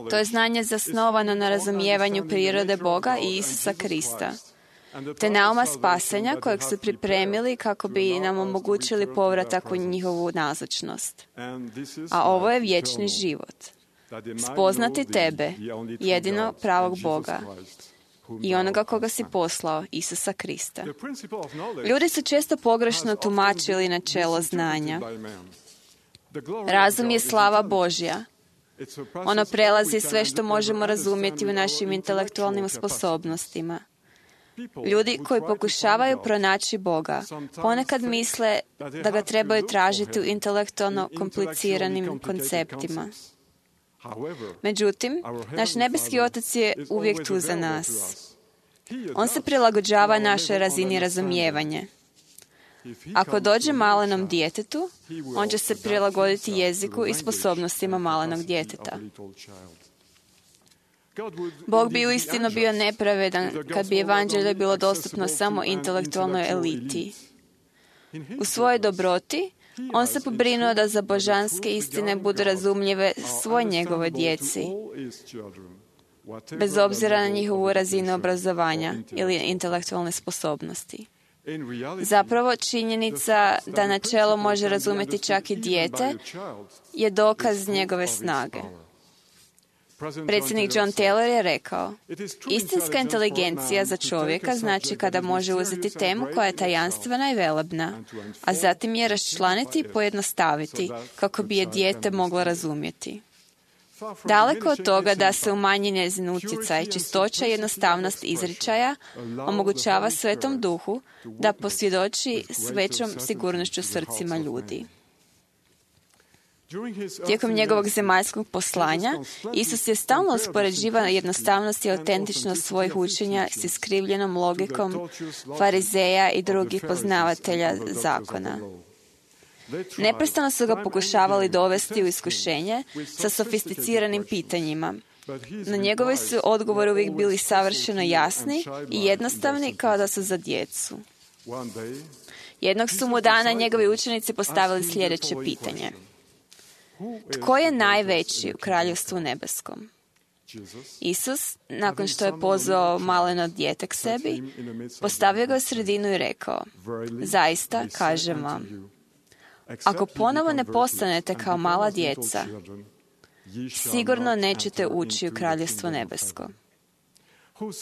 To je znanje zasnovano na razumijevanju prirode Boga i Isusa Krista, te nauma spasenja kojeg su pripremili kako bi nam omogućili povratak u njihovu nazočnost. A ovo je vječni život. Spoznati tebe, jedino pravog Boga, i onoga koga si poslao, Isusa Krista. Ljudi su često pogrešno tumačili načelo znanja. Razum je slava Božja. Ono prelazi sve što možemo razumjeti u našim intelektualnim sposobnostima. Ljudi koji pokušavaju pronaći Boga ponekad misle da ga trebaju tražiti u intelektualno kompliciranim konceptima. Međutim, naš nebeski Otac je uvijek tu za nas. On se prilagođava našoj razini razumijevanja. Ako dođe malenom djetetu, on će se prilagoditi jeziku i sposobnostima malenog djeteta. Bog bi uistinu bio nepravedan kad bi evanđelje bilo dostupno samo intelektualnoj eliti. U svojoj dobroti, on se pobrinuo da za božanske istine budu razumljive svoj njegovoj djeci, bez obzira na njihovu razinu obrazovanja ili intelektualne sposobnosti. Zapravo, činjenica da načelo može razumjeti čak i dijete je dokaz njegove snage. Predsjednik John Taylor je rekao, istinska inteligencija za čovjeka znači kada može uzeti temu koja je tajanstvena i velebna, a zatim je raščlaniti i pojednostaviti kako bi je dijete moglo razumjeti. Daleko od toga da se umanji njezin utjecaj, čistoća i jednostavnost izričaja omogućava Svetom Duhu da posvjedoči s većom sigurnošću srcima ljudi. Tijekom njegovog zemaljskog poslanja, Isus je stalno uspoređivao jednostavnost i autentičnost svojih učenja s iskrivljenom logikom farizeja i drugih poznavatelja zakona. Neprestano su ga pokušavali dovesti u iskušenje sa sofisticiranim pitanjima, no njegovi su odgovori uvijek bili savršeno jasni i jednostavni kao da su za djecu. Jednog su mu dana njegovi učenici postavili sljedeće pitanje. Tko je najveći u kraljevstvu nebeskom? Isus, nakon što je pozvao maleno dijete k sebi, postavio ga u sredinu i rekao, zaista, kažem vam, ako ponovo ne postanete kao mala djeca, sigurno nećete ući u kraljevstvo nebesko.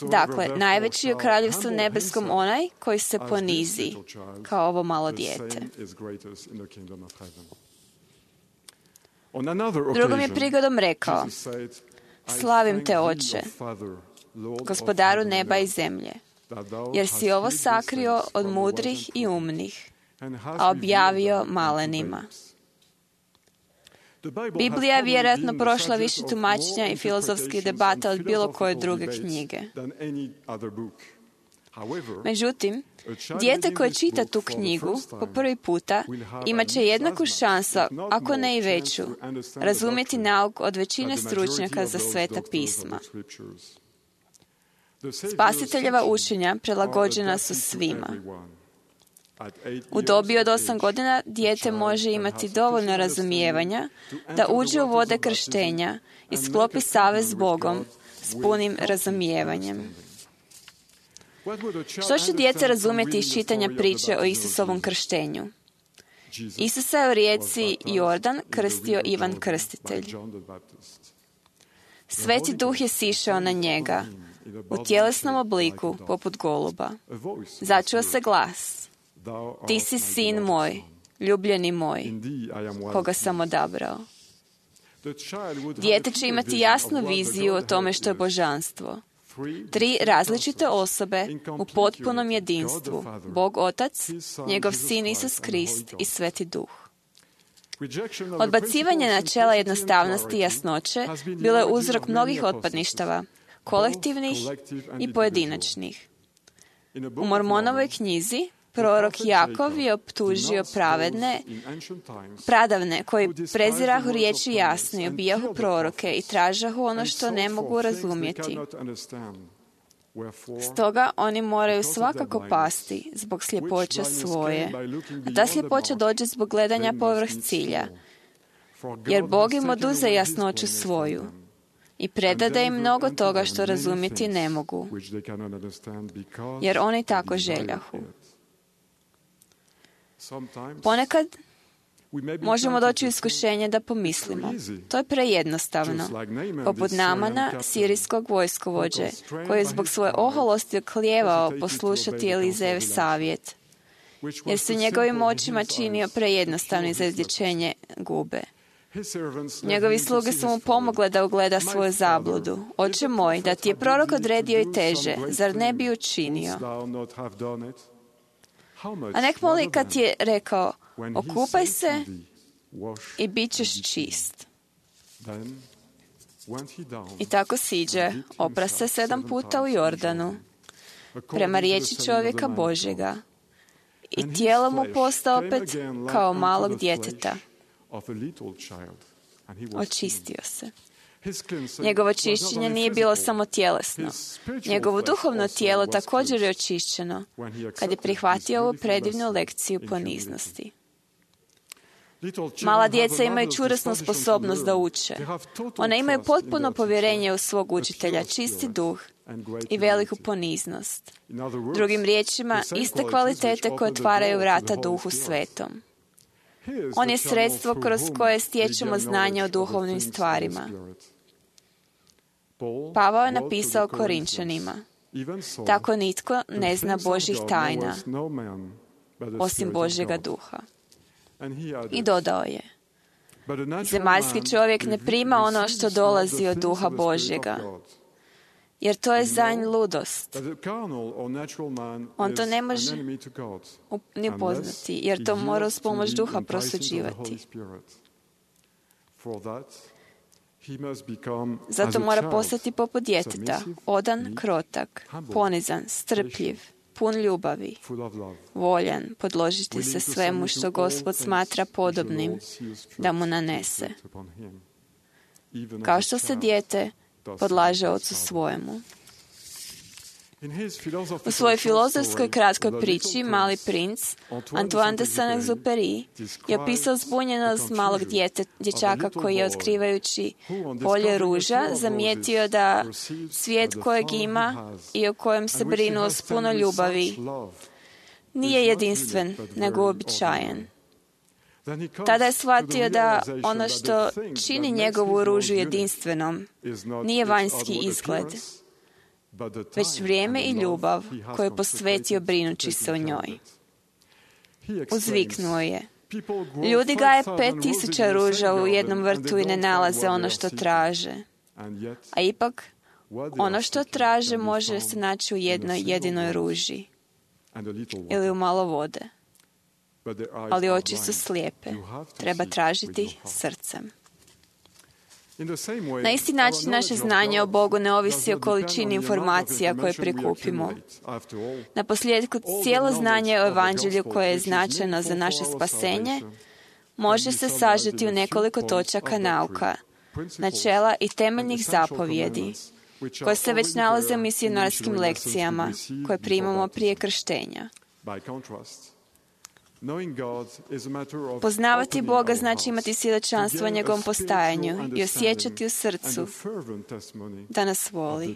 Dakle, najveći je u kraljevstvu nebeskom onaj koji se ponizi kao ovo malo dijete. Drugom je prigodom rekao, slavim te, Oče, gospodaru neba i zemlje, jer si ovo sakrio od mudrih i umnih, a objavio malenima. Biblija je vjerojatno prošla više tumačenja i filozofskih debata od bilo koje druge knjige. Međutim, dijete koje čita tu knjigu po prvi puta imat će jednaku šansu, ako ne i veću, razumjeti nauk od većine stručnjaka za sveta pisma. Spasiteljeva učenja prilagođena su svima. U dobi od 8 godina dijete može imati dovoljno razumijevanja da uđe u vode krštenja i sklopi savez s Bogom s punim razumijevanjem. Što će dijete razumjeti iz čitanja priče o Isusovom krštenju? Isusa je u rijeci Jordan krstio Ivan Krstitelj. Sveti Duh je sišao na njega u tjelesnom obliku poput goluba. Začuo se glas. Ti si sin moj, ljubljeni moj, koga sam odabrao. Dijete će imati jasnu viziju o tome što je božanstvo. 3 različite osobe u potpunom jedinstvu. Bog Otac, njegov sin Isus Krist i Sveti Duh. Odbacivanje načela jednostavnosti i jasnoće bilo je uzrok mnogih otpadništava, kolektivnih i pojedinačnih. U Mormonovoj knjizi prorok Jakov je optužio pradavne koji prezirahu riječi jasne i obijahu proroke i tražahu ono što ne mogu razumjeti. Stoga oni moraju svakako pasti zbog sljepoće svoje, a ta sljepoća dođe zbog gledanja povrh cilja, jer Bog im oduze jasnoću svoju i predade im mnogo toga što razumjeti ne mogu, jer oni tako željahu. Ponekad možemo doći u iskušenje da pomislimo, to je prejednostavno, poput Namana, sirijskog vojskovođe, koji je zbog svoje oholosti oklijevao poslušati Elizejev savjet, jer se njegovim očima činio prejednostavni za izlječenje gube. Njegovi sluge su mu pomogle da ugleda svoju zabludu. Oče moj, da ti je prorok odredio i teže, zar ne bi učinio? A nek moli kad je rekao, okupaj se i bit ćeš čist. I tako siđe, opra se 7 puta u Jordanu, prema riječi čovjeka Božjega, i tijelo mu posta opet kao malog djeteta. Očistio se. Njegovo čišćenje nije bilo samo tjelesno. Njegovo duhovno tijelo također je očišćeno kad je prihvatio ovu predivnu lekciju poniznosti. Mala djeca imaju čvrstu sposobnost da uče. One imaju potpuno povjerenje u svog učitelja, čisti duh i veliku poniznost. Drugim riječima, iste kvalitete koje otvaraju vrata Duhu Svetom. On je sredstvo kroz koje stječemo znanje o duhovnim stvarima. Pavao je napisao Korinčanima, tako nitko ne zna Božjih tajna, osim Božjega duha. I dodao je, zemaljski čovjek ne prima ono što dolazi od duha Božjega, jer to je za nj ludost. On to ne može ni upoznati, jer to mora uz pomoć duha prosuđivati. Zato mora postati poput djeteta, odan, krotak, ponizan, strpljiv, pun ljubavi, voljan podložiti se svemu što Gospod smatra podobnim da mu nanese, kao što se dijete podlaže ocu svojemu. U svojoj filozofskoj kratkoj priči Mali princ, Antoine de Saint-Exupéry je opisao zbunjenost malog dječaka koji je, otkrivajući polje ruža, zamijetio da svijet kojeg ima i o kojem se brinu s puno ljubavi nije jedinstven, nego uobičajen. Tada je shvatio da ono što čini njegovu ružu jedinstvenom nije vanjski izgled, već vrijeme i ljubav koju je posvetio brinući se o njoj. Uzviknuo je, ljudi gaje 5000 ruža u jednom vrtu i ne nalaze ono što traže. A ipak, ono što traže može se naći u jednoj jedinoj ruži ili u malo vode. Ali oči su slijepe. Treba tražiti srcem. Na isti način naše znanje o Bogu ne ovisi o količini informacija koje prikupimo. Na posljedku, cijelo znanje o Evanđelju koje je značajno za naše spasenje može se sažeti u nekoliko točaka nauka, načela i temeljnih zapovjedi, koje se već nalaze u misionarskim lekcijama koje primamo prije krštenja. Poznavati Boga znači imati svjedočanstvo o njegovom postojanju i osjećati u srcu da nas voli.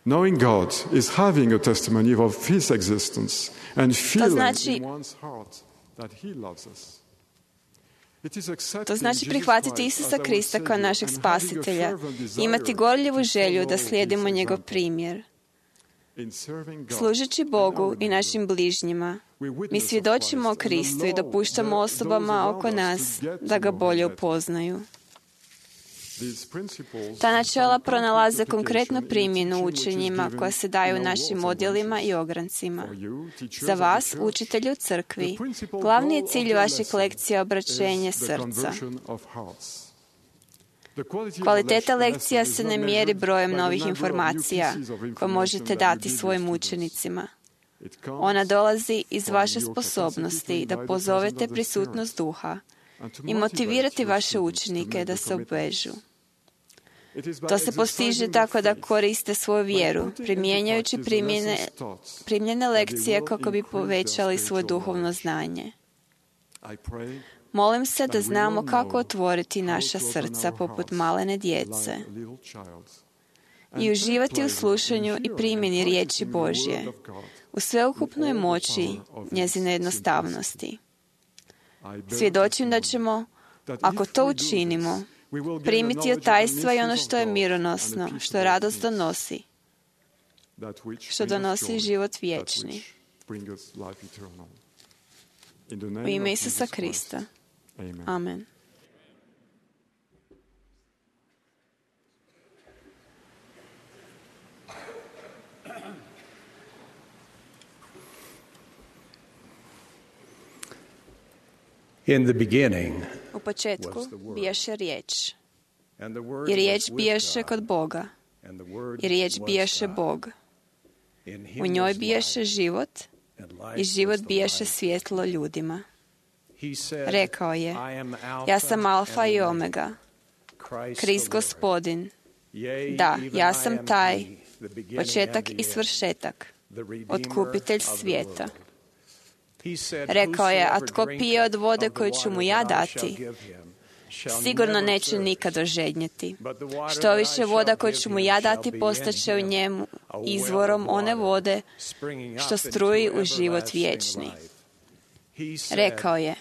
Knowing God is having a testimony of His existence and feeling in one's heart that He loves us. To znači prihvatiti Isusa Krista kao našeg spasitelja i imati gorljivu želju da slijedimo njegov primjer. Služeći Bogu i našim bližnjima, mi svjedočimo o Kristu i dopuštamo osobama oko nas da ga bolje upoznaju. Ta načela pronalaze konkretnu primjenu u učenjima koja se daju našim odjelima i ograncima. Za vas, učitelji u crkvi, glavni je cilj vaših lekcija obraćenje srca. Kvaliteta lekcija se ne mjeri brojem novih informacija koje možete dati svojim učenicima. Ona dolazi iz vaše sposobnosti da pozovete prisutnost duha i motivirati vaše učenike da se obvežu. To se postiže tako da koriste svoju vjeru, primjenjujući primljene lekcije kako bi povećali svoje duhovno znanje. Molim se da znamo kako otvoriti naša srca poput malene djece i uživati u slušanju i primjeni riječi Božje, u sveukupnoj moći njezine jednostavnosti. Svjedočim da ćemo, ako to učinimo, primiti od tajstva i ono što je mironosno, što radost donosi, što donosi život vječni. U ime Isusa Krista. Amen. In the beginning, u početku bijaše riječ, i riječ bijaše kod Boga, i riječ bijaše Bog. U njoj bijaše život, i život bijaše svjetlo ljudima. Rekao je, ja sam Alfa i Omega, Krist Gospodin. Da, ja sam taj, početak i svršetak, otkupitelj svijeta. Rekao je, a tko pije od vode koju ću mu ja dati, sigurno neće nikad ožednjeti. Što više voda koju ću mu ja dati postaće u njemu izvorom one vode što struji u život vječni. Rekao je,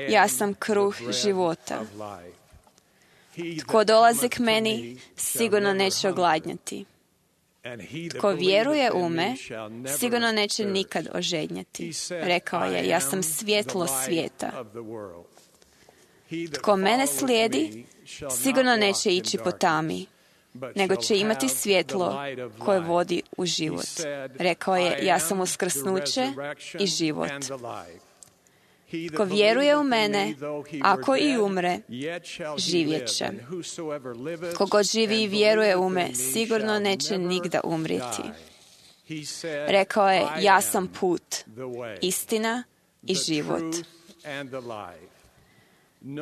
ja sam kruh života. Tko dolazi k meni, sigurno neće ogladnjati. Tko vjeruje u me, sigurno neće nikad ožednjeti. Rekao je, ja sam svjetlo svijeta. Tko mene slijedi, sigurno neće ići po tami, nego će imati svjetlo koje vodi u život. Rekao je, ja sam uskrsnuće i život. Tko vjeruje u mene, ako i umre, živjet će. Kogod živi i vjeruje u me, sigurno neće nigda umrijeti. Rekao je, ja sam put, istina i život.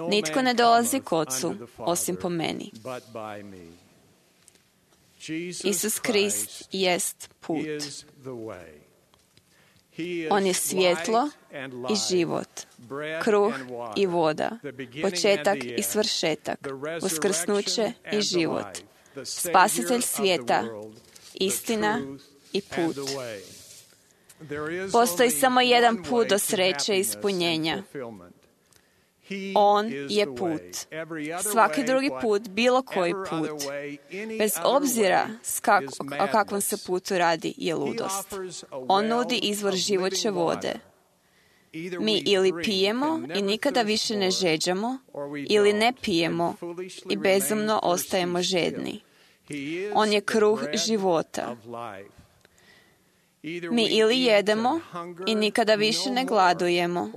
Nitko ne dolazi k Otcu, osim po meni. Isus Krist jest put. On je svjetlo i život, kruh i voda, početak i svršetak, uskrsnuće i život, spasitelj svijeta, istina i put. Postoji samo jedan put do sreće i ispunjenja. On je put. Svaki drugi put, bilo koji put, bez obzira o kakvom se putu radi, je ludost. On nudi izvor živoće vode. Mi ili pijemo i nikada više ne žeđamo, ili ne pijemo i bezumno ostajemo žedni. On je kruh života. Mi ili jedemo i nikada više ne gladujemo,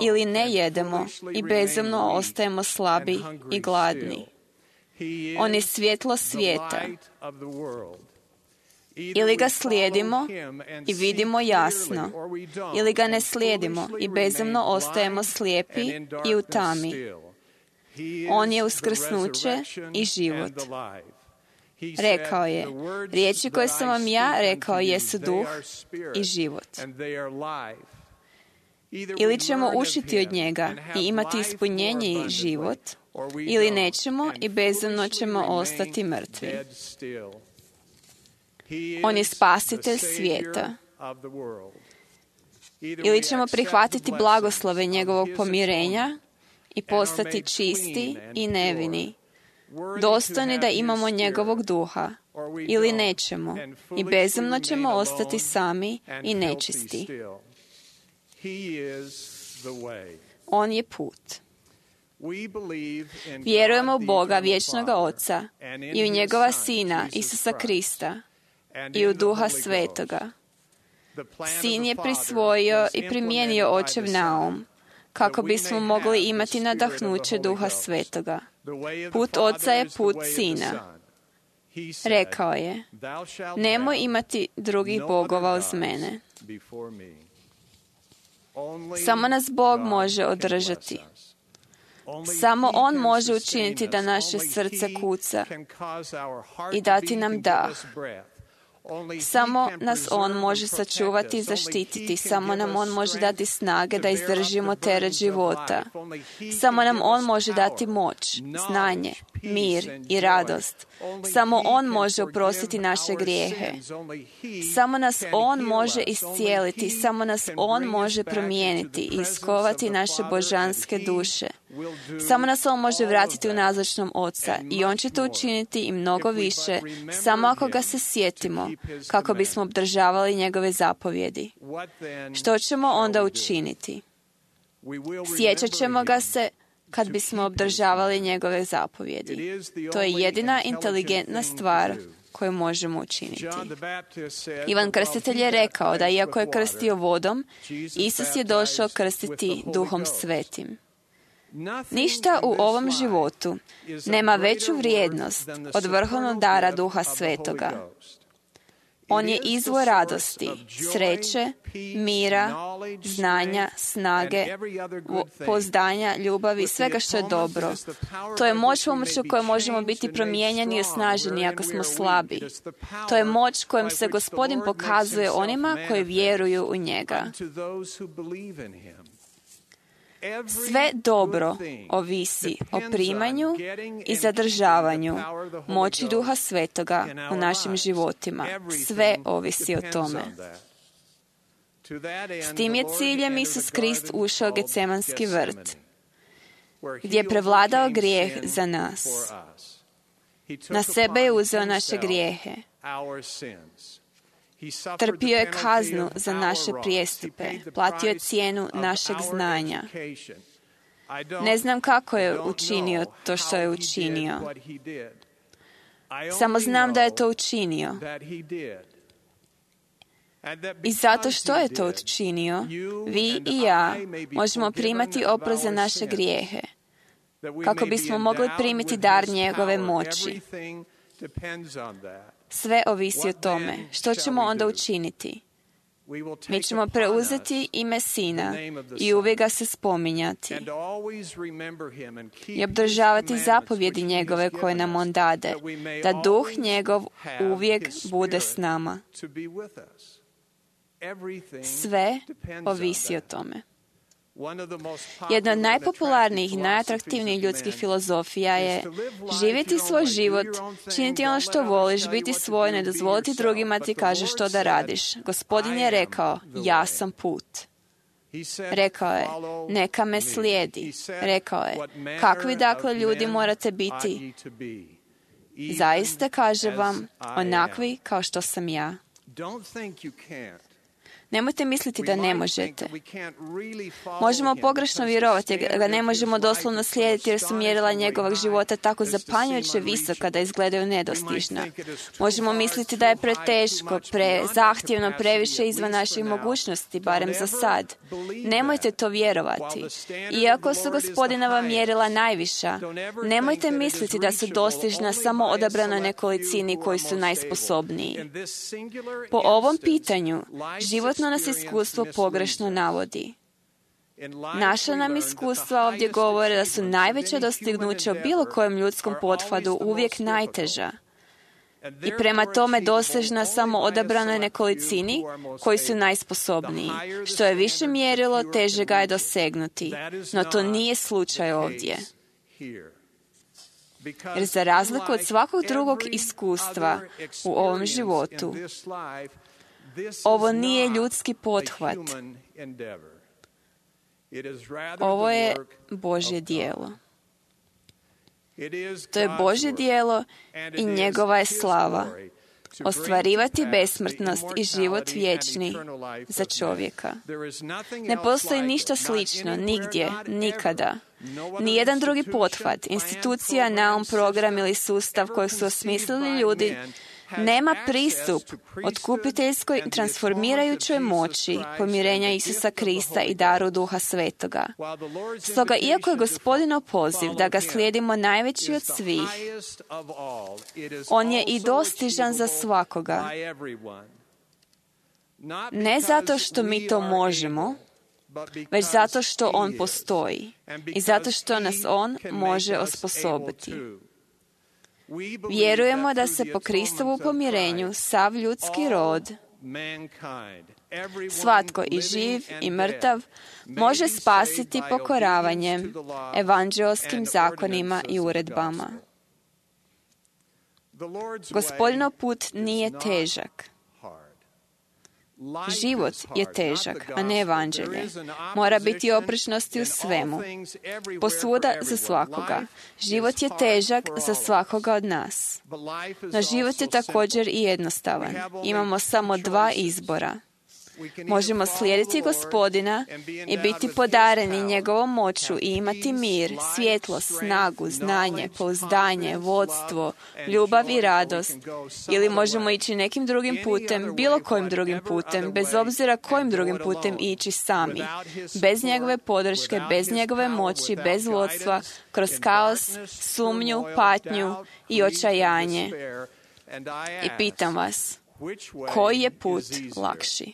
ili ne jedemo i bezumno ostajemo slabi i gladni. On je svjetlo svijeta. Ili ga slijedimo i vidimo jasno, ili ga ne slijedimo i bezumno ostajemo slijepi i u tami. On je uskrsnuće i život. Rekao je, riječi koje sam vam ja rekao jesu duh i život. Ili ćemo ušiti od njega i imati ispunjenje i život, ili nećemo i bezumno ćemo ostati mrtvi. On je spasitelj svijeta. Ili ćemo prihvatiti blagoslove njegovog pomirenja i postati čisti i nevini, dostojni da imamo njegovog duha, ili nećemo i bezumno ćemo ostati sami i nečisti. On je put. Vjerujemo u Boga, vječnoga Oca, i u njegova Sina, Isusa Krista, i u Duha Svetoga. Sin je prisvojio i primijenio Očev naum, kako bismo mogli imati nadahnuće Duha Svetoga. Put Oca je put Sina. Rekao je, nemoj imati drugih bogova uz mene. Samo nas Bog može održati. Samo On može učiniti da naše srce kuca i dati nam dah. Samo nas On može sačuvati i zaštititi. Samo nam On može dati snage da izdržimo teret života. Samo nam On može dati moć, znanje, mir i radost. Samo On može oprostiti naše grijehe. Samo nas On može iscijeliti. Samo nas On može promijeniti i iskovati naše božanske duše. Samo nas On može vratiti u nazočnom Oca i On će to učiniti i mnogo više, samo ako ga se sjetimo, kako bismo obdržavali njegove zapovjedi. Što ćemo onda učiniti? Sjećat ćemo ga se kad bismo obdržavali njegove zapovjedi. To je jedina inteligentna stvar koju možemo učiniti. Ivan Krstitelj je rekao da iako je krstio vodom, Isus je došao krstiti Duhom Svetim. Ništa u ovom životu nema veću vrijednost od vrhovnog dara Duha Svetoga. On je izvor radosti, sreće, mira, znanja, snage, pouzdanja, ljubavi i svega što je dobro. To je moć pomoću koje možemo biti promijenjeni i osnaženi ako smo slabi. To je moć kojom se Gospodin pokazuje onima koji vjeruju u njega. Sve dobro ovisi o primanju i zadržavanju moći Duha Svetoga u našim životima. Sve ovisi o tome. S tim je ciljem Isus Krist ušao u Getsemanski vrt, gdje je prevladao grijeh za nas. Na sebe je uzeo naše grijehe. Trpio je kaznu za naše prijestupe, platio je cijenu našeg znanja. Ne znam kako je učinio to što je učinio. Samo znam da je to učinio. I zato što je to učinio, vi i ja možemo primati oprost za naše grijehe, kako bismo mogli primiti dar njegove moći. Sve ovisi o tome. Što ćemo onda učiniti? Mi ćemo preuzeti ime Sina i uvijek ga se spominjati i obdržavati zapovjedi njegove koje nam On dade, da Duh njegov uvijek bude s nama. Sve ovisi o tome. Jedna od najpopularnijih i najatraktivnijih ljudskih filozofija je živjeti svoj život, činiti ono što voliš, biti svoj, ne dozvoliti drugima ti kaže što da radiš. Gospodin je rekao, ja sam put. Rekao je, neka me slijedi. Rekao je, kakvi dakle ljudi morate biti? Zaista kažem vam, onakvi kao što sam ja. Nemojte misliti da ne možete. Možemo pogrešno vjerovati da ga ne možemo doslovno slijediti jer su mjerila njegovog života tako zapanjujuće visoka da izgledaju nedostižna. Možemo misliti da je preteško, prezahtjevno, previše izvan naših mogućnosti, barem za sad. Nemojte to vjerovati. Iako su Gospodinova mjerila najviša, nemojte misliti da su dostižna samo odabranoj nekolicini koji su najsposobniji. Po ovom pitanju, životno nas iskustvo pogrešno navodi. Naša nam iskustva ovdje govore da su najveća dostignuća u bilo kojem ljudskom pothvatu uvijek najteža i prema tome dosežna samo odabranoj nekolicini koji su najsposobniji. Što je više mjerilo, teže ga je dosegnuti. No to nije slučaj ovdje. Jer za razliku od svakog drugog iskustva u ovom životu, ovo nije ljudski pothvat. Ovo je Božje djelo. To je Božje djelo i njegova je slava. ostvarivati besmrtnost i život vječni za čovjeka. Ne postoji ništa slično, nigdje, nikada. Nijedan drugi pothvat, institucija, naum, program ili sustav kojeg su osmislili ljudi nema pristup otkupiteljskoj transformirajućoj moći pomirenja Isusa Krista i daru Duha Svetoga. Stoga, iako je Gospodinov poziv da ga slijedimo najveći od svih, on je i dostižan za svakoga. Ne zato što mi to možemo, već zato što on postoji i zato što nas on može osposobiti. Vjerujemo da se po Kristovu pomirenju sav ljudski rod, svatko i živ i mrtav, može spasiti pokoravanjem evanđeoskim zakonima i uredbama. Gospodinov put nije težak. Život je težak, a ne evanđelje. Mora biti oprečnosti u svemu. Posvuda za svakoga. Život je težak za svakoga od nas. No život je također i jednostavan. Imamo samo dva izbora. Možemo slijediti Gospodina i biti podareni njegovom moću i imati mir, svjetlost, snagu, znanje, pouzdanje, vodstvo, ljubav i radost. Ili možemo ići nekim drugim putem, bilo kojim drugim putem, bez obzira kojim drugim putem ići sami. Bez njegove podrške, bez njegove moći, bez vodstva, kroz kaos, sumnju, patnju i očajanje. I pitam vas, koji je put lakši?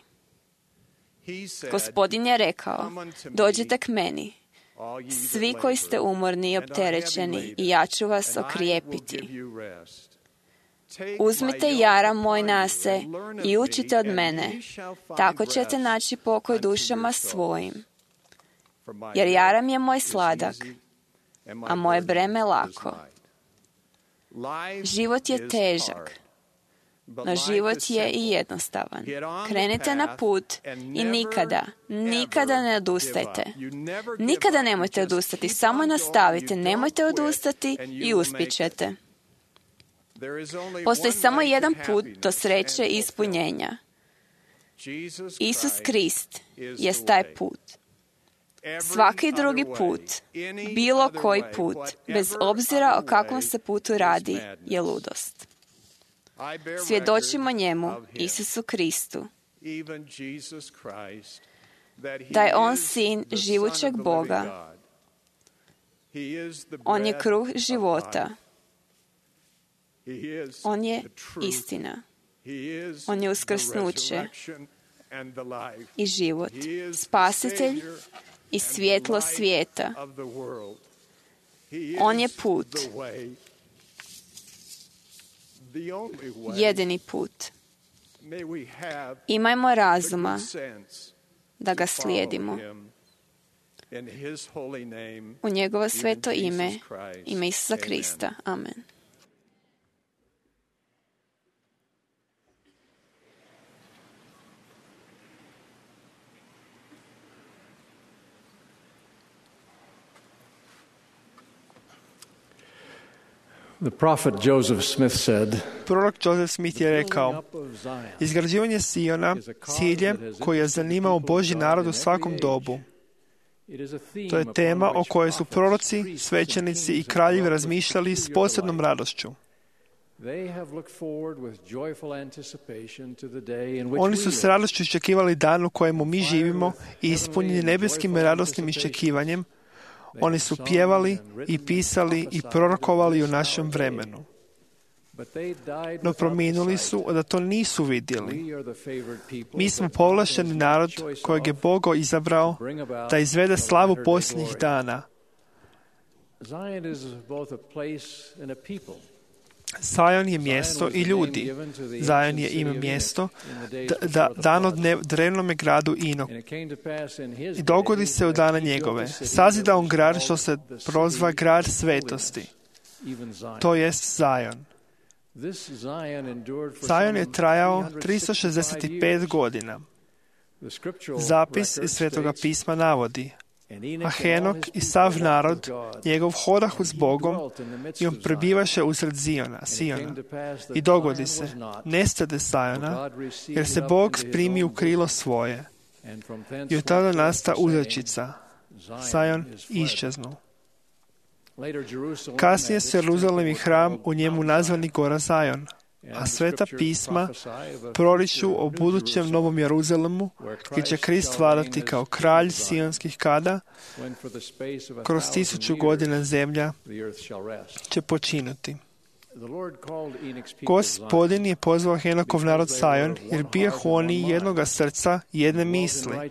Gospodin je rekao, dođite k meni, svi koji ste umorni i opterećeni, i ja ću vas okrijepiti. Uzmite jaram moj na se i učite od mene, tako ćete naći pokoj dušama svojim. Jer jaram je moj sladak, a moje breme lako. Život je težak, no život je i jednostavan. Krenite na put i nikada ne odustajte. Nikada nemojte odustati, samo nastavite, nemojte odustati i uspjećete. Postoji samo jedan put do sreće i ispunjenja. Isus Krist je taj put. Svaki drugi put, bilo koji put, bez obzira o kakvom se putu radi, je ludost. Svjedočimo njemu, Isusu Kristu, da je on sin živućeg Boga. On je kruh života. On je istina. On je uskrsnuće i život, spasitelj i svjetlo svijeta. On je put. Jedini put. Imajmo razuma da ga slijedimo. U njegovo sveto ime, ime Isusa Krista. Amen. The prophet Joseph Smith said, Prorok Joseph Smith je rekao, izgrađivanje Siona ciljem koji je zanimao Božji narod u svakom dobu. To je tema o kojoj su proroci, svećenici i kraljevi razmišljali s posebnom radošću. Oni su s radošću iščekivali dan u kojemu mi živimo i ispunjeni nebeskim radosnim iščekivanjem. Oni su pjevali i pisali i prorokovali u našem vremenu. No prominuli su da to nisu vidjeli. Mi smo povlašteni narod kojeg je Bog izabrao da izvede slavu posljednjih dana. Zion je mjesto i ljudi. Zion je ime mjesto dano drevnome gradu Inok. I dogodi se u dana njegove. Sazida on grad što se prozva grad svetosti. To jest Zion. Zion je trajao 365 godina. Zapis iz Svetoga pisma navodi, A Henok i sav narod njegov hodahu s Bogom i on prebivaše usred Siona. I dogodi se, nestade Sajona, jer se Bog primi u krilo svoje. I od tada nasta uzrečica, Sajon iščeznu. Kasnije su Jeruzalem i hram u njemu nazvani Gora Sajon, a sveta pisma proriču o budućem Novom Jeruzalemu, gdje će Krist vladati kao kralj sionskih kada, kroz 1000 godina zemlja će počinuti. Gospodin je pozvao Henokov narod Sajon, jer bijahu oni jednoga srca, jedne misli,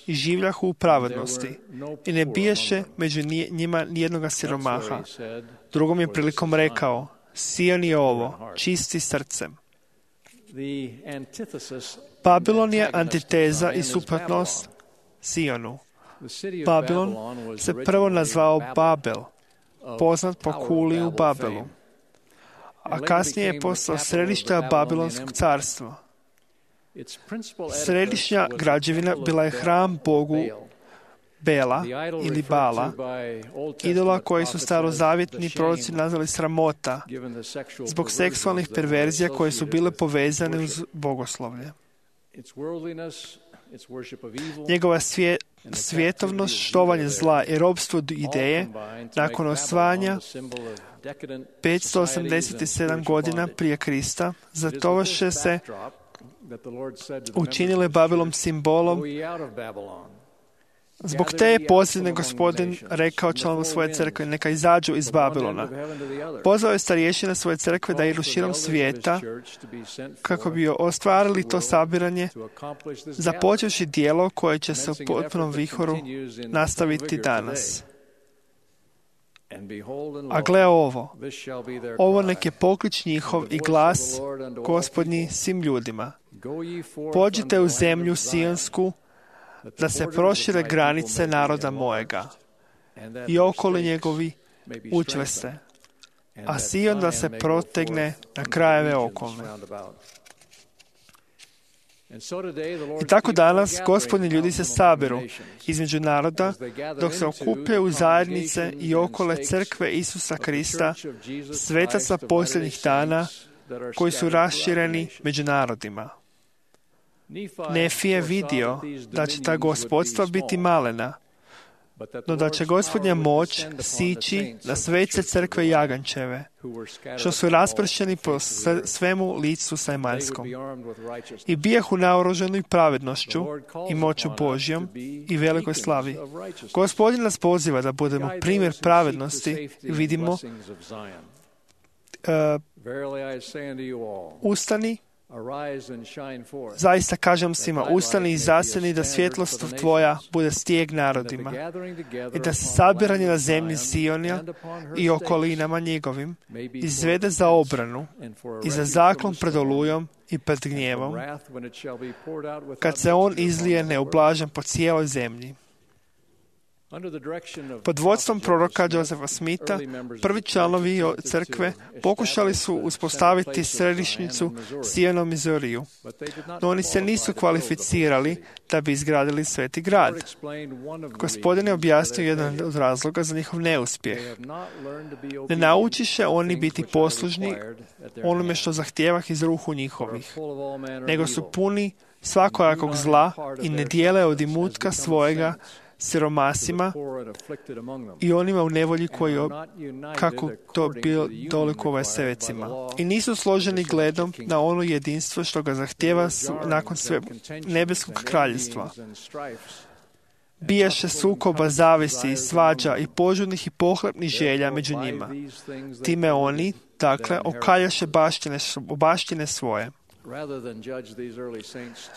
i življahu u pravednosti, i ne bijaše među njima nijednoga siromaha. Drugom je prilikom rekao, Sion je ovo, čisti srcem. Babilon je antiteza i suprotnost Sionu. Babilon se prvo nazvao Babel, poznat po kuli u Babelu, a kasnije je postao središte Babilonskog carstva. Središnja građevina bila je hram Bogu Bela ili Bala, idola koji su starozavjetni proroci nazvali sramota, zbog seksualnih perverzija koje su bile povezane uz bogoslovlje. Njegova svjetovnost, štovanje zla i robstvo ideje, nakon osvajanja 587 godina prije Krista, zatovaše se učinile Babilom simbolom. Zbog te je posljednji Gospodin rekao članu svoje crkve, neka izađu iz Babilona. Pozvao je starješine svoje crkve da idu širom svijeta kako bi ostvarili to sabiranje, započevši djelo koje će se u potpunom vihoru nastaviti danas. A gle ovo nek je poklič njihov i glas Gospodnji svim ljudima. Pođite u zemlju Sionsku, da se prošire granice naroda mojega i okoli njegovi učvrste, a Sion da se protegne na krajeve okolne. I tako danas Gospodni ljudi se sabiru između naroda dok se okupljaju u zajednice i okole crkve Isusa Krista, svetaca posljednjih dana koji su rašireni među narodima. Nefi je vidio da će ta gospodstva biti malena, no da će Gospodnja moć sići na sveće crkve Jagančeve, što su raspršeni po svemu licu zemaljskom. I bijahu naoružani pravednošću i moću Božjom i velikoj slavi. Gospodin nas poziva da budemo primjer pravednosti i vidimo ustani. Zaista kažem svima, ustani i zasjeni da svjetlost tvoja bude stijeg narodima i da se sabiranje na zemlji Sionija i okolinama njegovim izvede za obranu i za zaklon pred olujom i pred gnjevom, kad se on izlije neublažen po cijeloj zemlji. Pod vodstvom proroka Josefa Smitha, prvi članovi crkve pokušali su uspostaviti središnjicu Sionom Mizoriju, no oni se nisu kvalificirali da bi izgradili sveti grad. Gospodin je objasnio jedan od razloga za njihov neuspjeh. Ne naučiše oni biti poslužni onome što zahtijevah iz ruhu njihovih, nego su puni svakojakog zla i ne dijele od imutka svojega siromasima i onima u nevolji koji kako to bilo dolikuje sevecima. I nisu složeni gledom na ono jedinstvo što ga zahtjeva nakon sve nebeskog kraljevstva. Bijaše sukoba, zavisi, svađa i požudnih i pohlepnih želja među njima. Time oni, dakle, okaljaše baštine svoje.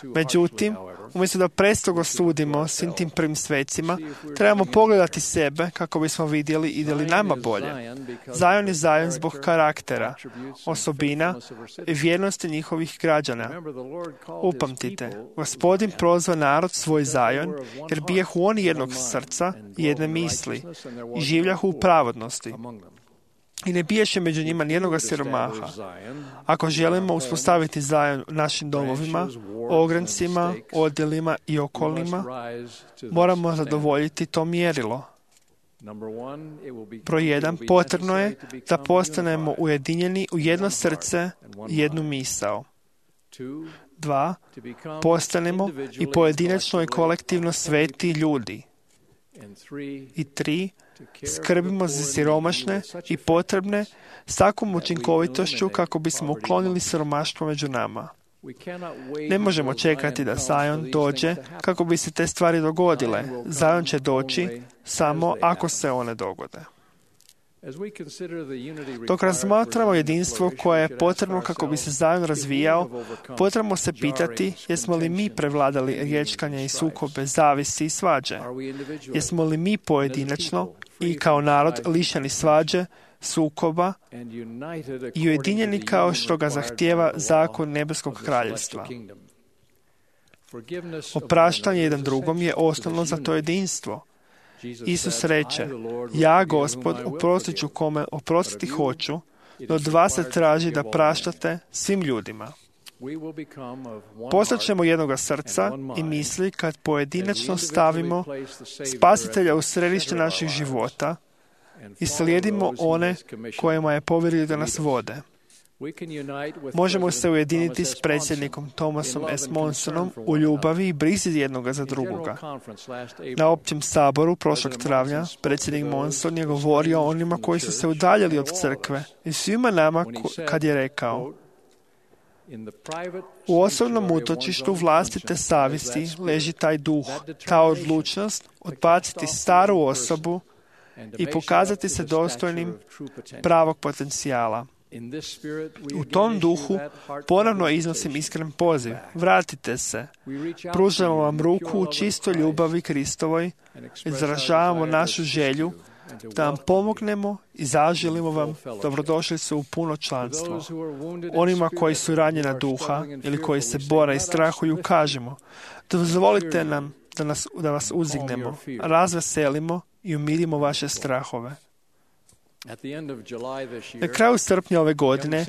Međutim, umjesto da prestogo sudimo svim tim prvim svecima, trebamo pogledati sebe kako bismo vidjeli ide li nama bolje. Zajon je Zajon zbog karaktera, osobina i vjernosti njihovih građana. Upamtite, Gospodin prozva narod svoj Zajon, jer bijahu oni jednog srca i jedne misli i življahu u pravednosti. i ne biješe među njima nijednoga siromaha. Ako želimo uspostaviti Zajon u našim domovima, ograncima, odjelima i okolnima, moramo zadovoljiti to mjerilo. Broj 1. Potrebno je da postanemo ujedinjeni u jedno srce i jednu misao. 2. Postanemo i pojedinačno i kolektivno sveti ljudi. I 3. Skrbimo za siromašne i potrebne s takvom učinkovitošću kako bismo uklonili siromaštvo među nama. Ne možemo čekati da Zajon dođe kako bi se te stvari dogodile. Zajon će doći samo ako se one dogode. Dok razmatramo jedinstvo koje je potrebno kako bi se Zajon razvijao, potrebno se pitati jesmo li mi prevladali riječkanje i sukobe, zavisi i svađe. Jesmo li mi pojedinačno i kao narod lišeni svađe, sukoba i ujedinjeni kao što ga zahtijeva zakon nebeskog kraljevstva. Opraštanje jedan drugom je osnovno za to jedinstvo. Isus reče, ja, Gospod, oprostit ću kome oprostiti hoću, no od vas se traži da praštate svim ljudima. Postaćemo jednoga srca i misli kad pojedinačno stavimo Spasitelja u središte naših života i slijedimo one kojima je povjerio da nas vode. Možemo se ujediniti s predsjednikom Thomasom S. Monsonom u ljubavi i brizi jednoga za drugoga. Na općem saboru prošlog travnja predsjednik Monson je govorio o onima koji su se udaljili od crkve i svima nama kad je rekao: u osobnom utočištu vlastite savjesti leži taj duh, ta odlučnost odbaciti staru osobu i pokazati se dostojnim pravog potencijala. U tom duhu ponovno iznosim iskren poziv. Vratite se. Pružamo vam ruku u čistoj ljubavi Kristovoj. Izražavamo našu želju da vam pomognemo i zaželimo vam dobrodošlicu u puno članstvo. Onima koji su ranjena duha ili koji se bore i strahuju, kažemo: dozvolite nam da vas uzignemo, razveselimo i umirimo vaše strahove. Na kraju srpnja ove godine,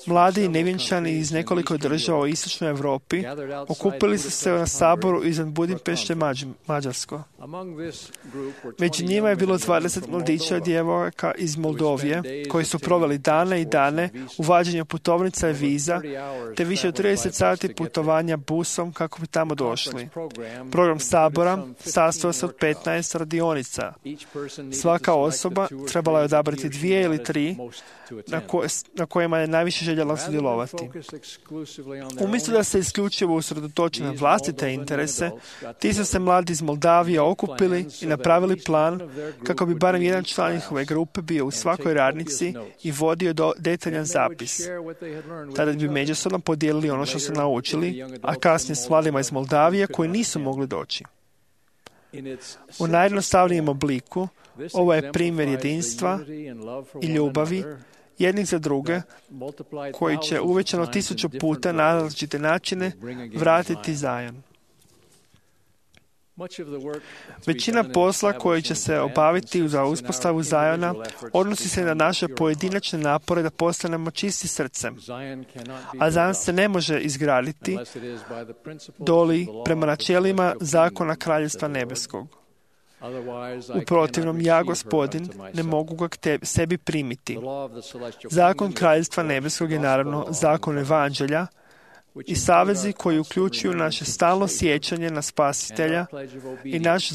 mladi i nevjenčani iz nekoliko država u istočnoj Europi okupili su se na saboru izvan Budimpešte, Mađarsko. Među njima je bilo 20 mladića i djevojaka iz Moldovije, koji su proveli dane i dane u vađenju putovnica i viza, te više od 30 sati putovanja busom kako bi tamo došli. Program sabora sastojao se od 15 radionica. Svaka osoba trebala je odabrati 2 ili 3 na kojima je najviše željela sudjelovati. Umjesto da se isključivo usredotoče na vlastite interese, ti su se mladi iz Moldavije okupili i napravili plan kako bi barem jedan član njihove grupe bio u svakoj radnici i vodio detaljan zapis. Tada bi međusobno podijelili ono što su naučili, a kasnije s mladima iz Moldavije koji nisu mogli doći. U najjednostavnijem obliku, ovo je primjer jedinstva i ljubavi jednih za druge, koji će uvećano 1000 puta na različite načine vratiti Zajon. Većina posla koji će se obaviti za uspostavu Zajona odnosi se na naše pojedinačne napore da postanemo čisti srcem. A Zajon se ne može izgraditi doli prema načelima zakona Kraljevstva nebeskog. U protivnom, ja, Gospodin, ne mogu ga k sebi primiti. Zakon Kraljevstva nebeskog je naravno zakon Evanđelja i savezi koji uključuju naše stalno sjećanje na Spasitelja i naš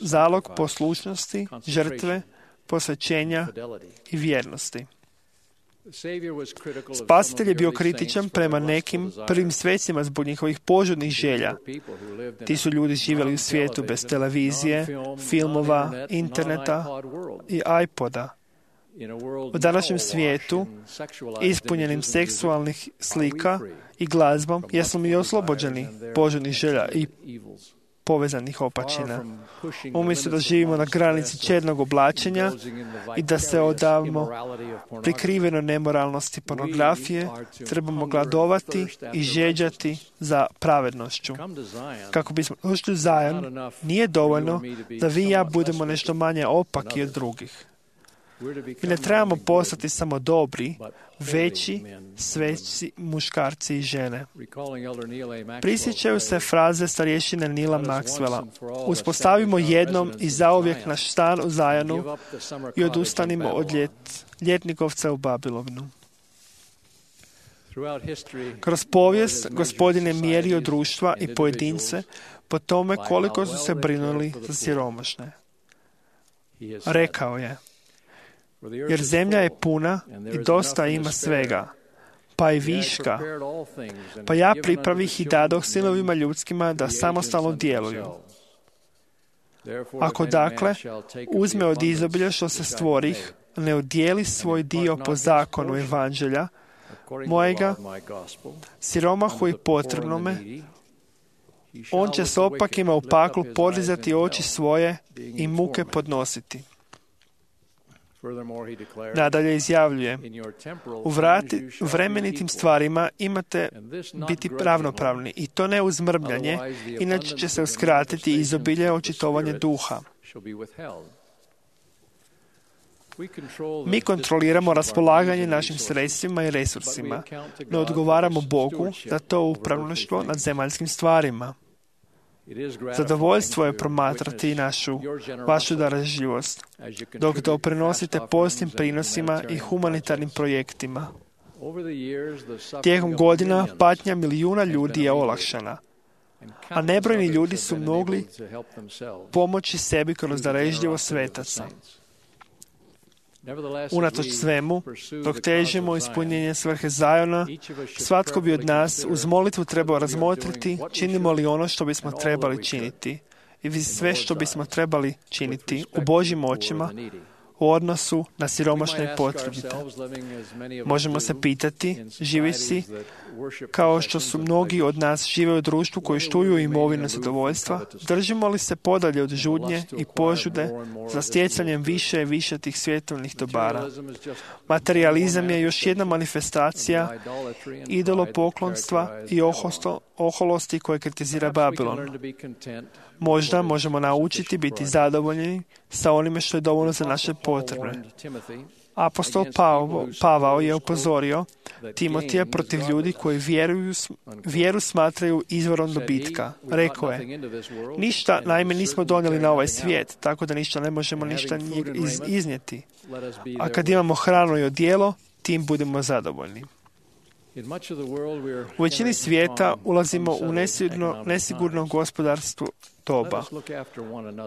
zalog poslušnosti, žrtve, posvećenja i vjernosti. Spasitelj je bio kritičan prema nekim prvim svecima zbog njihovih požudnih želja. Ti su ljudi živjeli u svijetu bez televizije, filmova, interneta i iPoda. U današnjem svijetu, ispunjenim seksualnih slika i glazbom, jesmo mi oslobođeni požudnih želja i povezanih opačina. Umjesto da živimo na granici čednog oblačenja i da se odavimo prikriveno nemoralnosti pornografije, trebamo gladovati i žeđati za pravednošću. Kako bismo došli u Zajon, nije dovoljno da vi i ja budemo nešto manje opaki od drugih. Mi ne trebamo postati samo dobri, veći, sveći muškarci i žene. Prisjećaju se fraze starješine Nila Maxwella. Uspostavimo jednom i zauvijek naš stan u Zajonu i odustanimo od ljetnikovca u Babilonu. Kroz povijest Gospodin je mjerio društva i pojedince po tome koliko su se brinuli za siromašne. Rekao je, jer zemlja je puna i dosta ima svega, pa i viška, pa ja pripravih i dadoh sinovima ljudskima da samostalno djeluju. Ako dakle uzme od izobilja što se stvorih, ne odijeli svoj dio po zakonu evanđelja mojega, siromahu i potrebnome, on će s opakima u paklu podizati oči svoje i muke podnositi. Nadalje izjavljuje, u vremenitim stvarima imate biti ravnopravni i to ne uz mrmljanje, inače će se uskratiti izobilje očitovanje duha. Mi kontroliramo raspolaganje našim sredstvima i resursima, ne odgovaramo Bogu za to upravništvo nad zemaljskim stvarima. Zadovoljstvo je promatrati vašu darežljivost, dok doprinosite postim prinosima i humanitarnim projektima. Tijekom godina patnja milijuna ljudi je olakšana, a nebrojni ljudi su mogli pomoći sebi kroz darežljivost svetaca. Unatoč svemu, dok težimo ispunjenje svrhe Zajona, svatko bi od nas uz molitvu trebao razmotriti činimo li ono što bismo trebali činiti i sve što bismo trebali činiti u Božjim očima u odnosu na siromašne i potrebite. Možemo se pitati, živeći kao što su mnogi od nas žive u društvu koji štuju imovinu zadovoljstva, držimo li se podalje od žudnje i požude za stjecanjem više i više tih svjetovnih dobara? Materializam je još jedna manifestacija idolopoklonstva i oholosti koje kritizira Babilon. Možda možemo naučiti biti zadovoljni sa onime što je dovoljno za naše potrebe. Apostol Pavao je upozorio Timotija protiv ljudi koji vjeru smatraju izvorom dobitka. Rekao je, ništa naime nismo donijeli na ovaj svijet, tako da ništa ne možemo iznijeti. A kad imamo hranu i odijelo, tim budemo zadovoljni. U većini svijeta ulazimo u nesigurno gospodarstvo doba.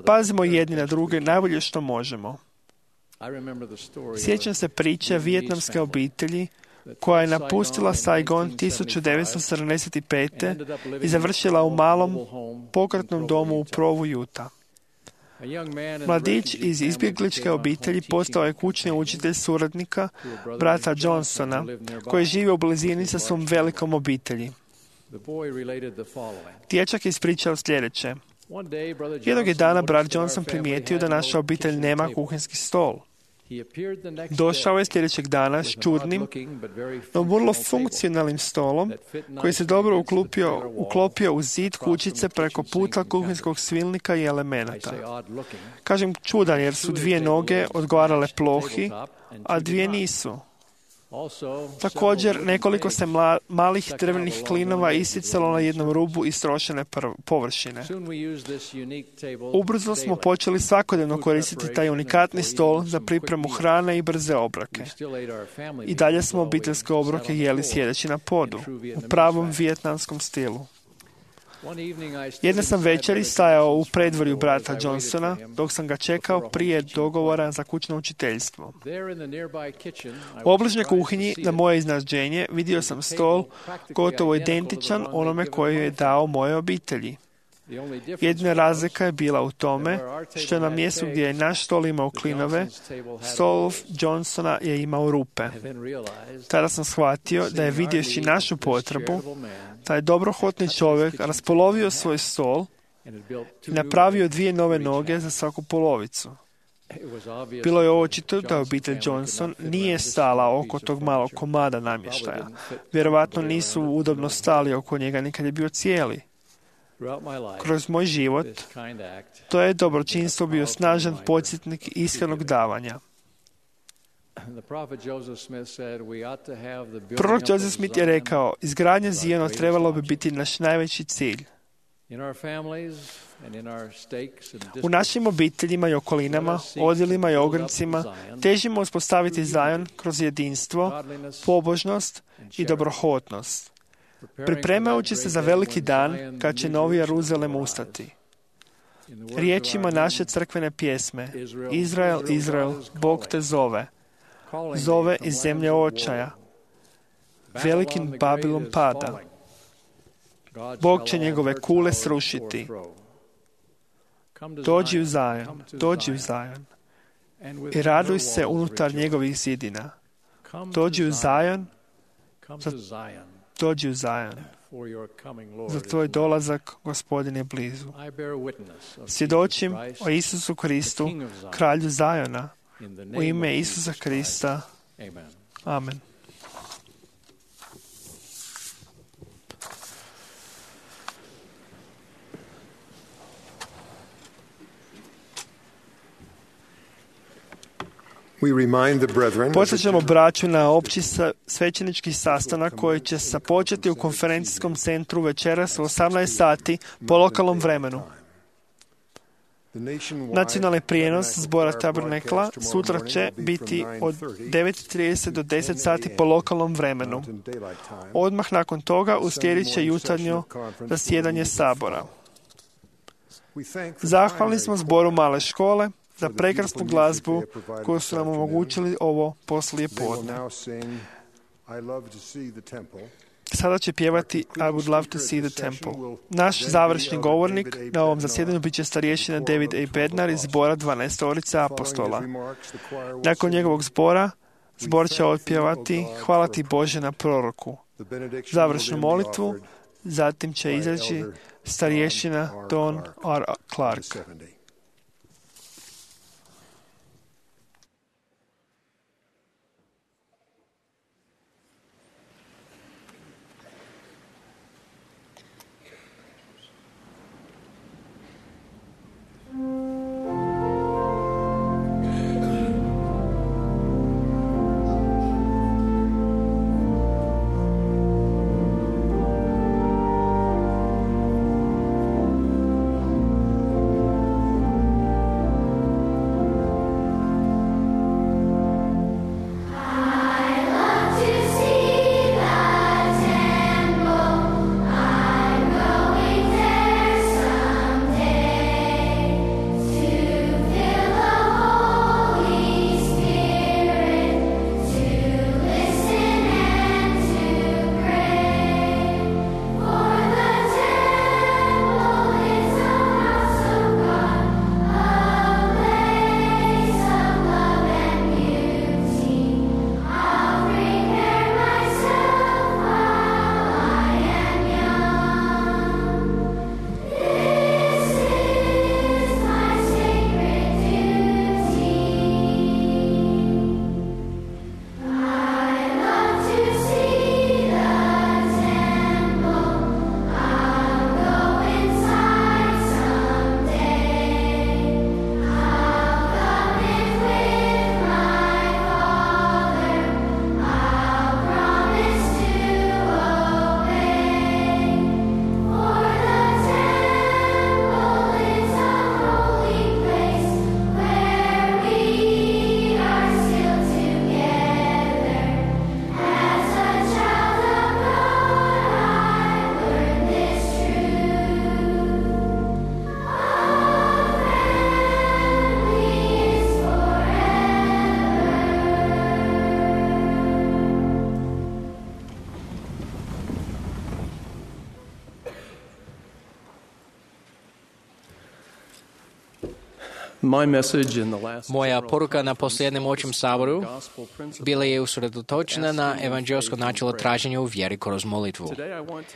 Pazimo jedni na druge najbolje što možemo. Sjećam se priče vijetnamske obitelji koja je napustila Saigon 1975. i završila u malom pokretnom domu u Provu, Utah. Mladić iz izbjegličke obitelji postao je kućni učitelj suradnika brata Johnsona, koji živi u blizini sa svom velikom obitelji. Dječak je ispričao sljedeće. Jednog je dana brat Johnson primijetio da naša obitelj nema kuhinski stol. Došao je sljedećeg dana s čudnim, no vrlo funkcionalnim stolom koji se dobro uklopio u zid kućice preko puta kuhinskog svilnika i elemenata. Kažem čudan jer su dvije noge odgovarale plohi, a dvije nisu. Također, nekoliko se malih drvenih klinova isticalo na jednom rubu istrošene površine. Ubrzo smo počeli svakodnevno koristiti taj unikatni stol za pripremu hrane i brze obroke. I dalje smo obiteljske obroke jeli sjedeći na podu, u pravom vijetnamskom stilu. Jedne sam večeri stajao u predvorju brata Johnsona, dok sam ga čekao prije dogovora za kućno učiteljstvo. U obližnjoj kuhinji, na moje iznenađenje, vidio sam stol gotovo identičan onome koji je dao moje obitelji. Jedina razlika je bila u tome što je na mjestu gdje je naš stol imao klinove, stol Johnsona je imao rupe. Tada sam shvatio da je vidjevši našu potrebu, taj dobrohotni čovjek raspolovio svoj stol i napravio 2 nove noge za svaku polovicu. Bilo je očito da obitelj Johnson nije stala oko tog malog komada namještaja. Vjerovatno nisu udobno stali oko njega nikad je bio cijeli. Kroz moj život, to je dobročinstvo bio snažan podsjetnik iskrenog davanja. Prorok Joseph Smith je rekao, izgradnja Ziona trebalo bi biti naš najveći cilj. U našim obiteljima i okolinama, odjelima i ograncima težimo uspostaviti Zion kroz jedinstvo, pobožnost i dobrohotnost, pripremajući se za veliki dan kad će novi Jeruzalem ustati. Riječima naše crkvene pjesme, Izrael, Izrael, Bog te zove, zove iz zemlje očaja, velikim Babilom pada. Bog će njegove kule srušiti. Dođi u Zion, dođi u Zion i raduj se unutar njegovih zidina. Dođi u Zion, dođi u Zion. Za tvoj dolazak, Gospodin je blizu. Svjedočim o Isusu Kristu, kralju Ziona, u ime Isusa Krista. Amen. Podsjećamo braću na opći svećenički sastanak koji će se početi u konferencijskom centru večeras u 18 sati po lokalnom vremenu. Nacionalni prijenos zbora Tabernekla sutra će biti od 9:30 do 10 sati po lokalnom vremenu. Odmah nakon toga uslijedit će jutarnjo zasjedanje sabora. Zahvalni smo zboru Male škole za prekrasnu glazbu koju su nam omogućili ovo poslije podne. Sada će pjevati I would love to see the temple. Naš završni govornik na ovom zasjedanju bit će starješina David A. Bednar iz zbora 12 apostola. Nakon njegovog zbora, zbor će otpjevati Hvala ti Bože na proroku. Završnu molitvu zatim će izreći starješina Don R. Clark. Moja poruka na posljednjem očem saboru bila je usredotočena na evanđelsko načelo traženja u vjeri kroz molitvu.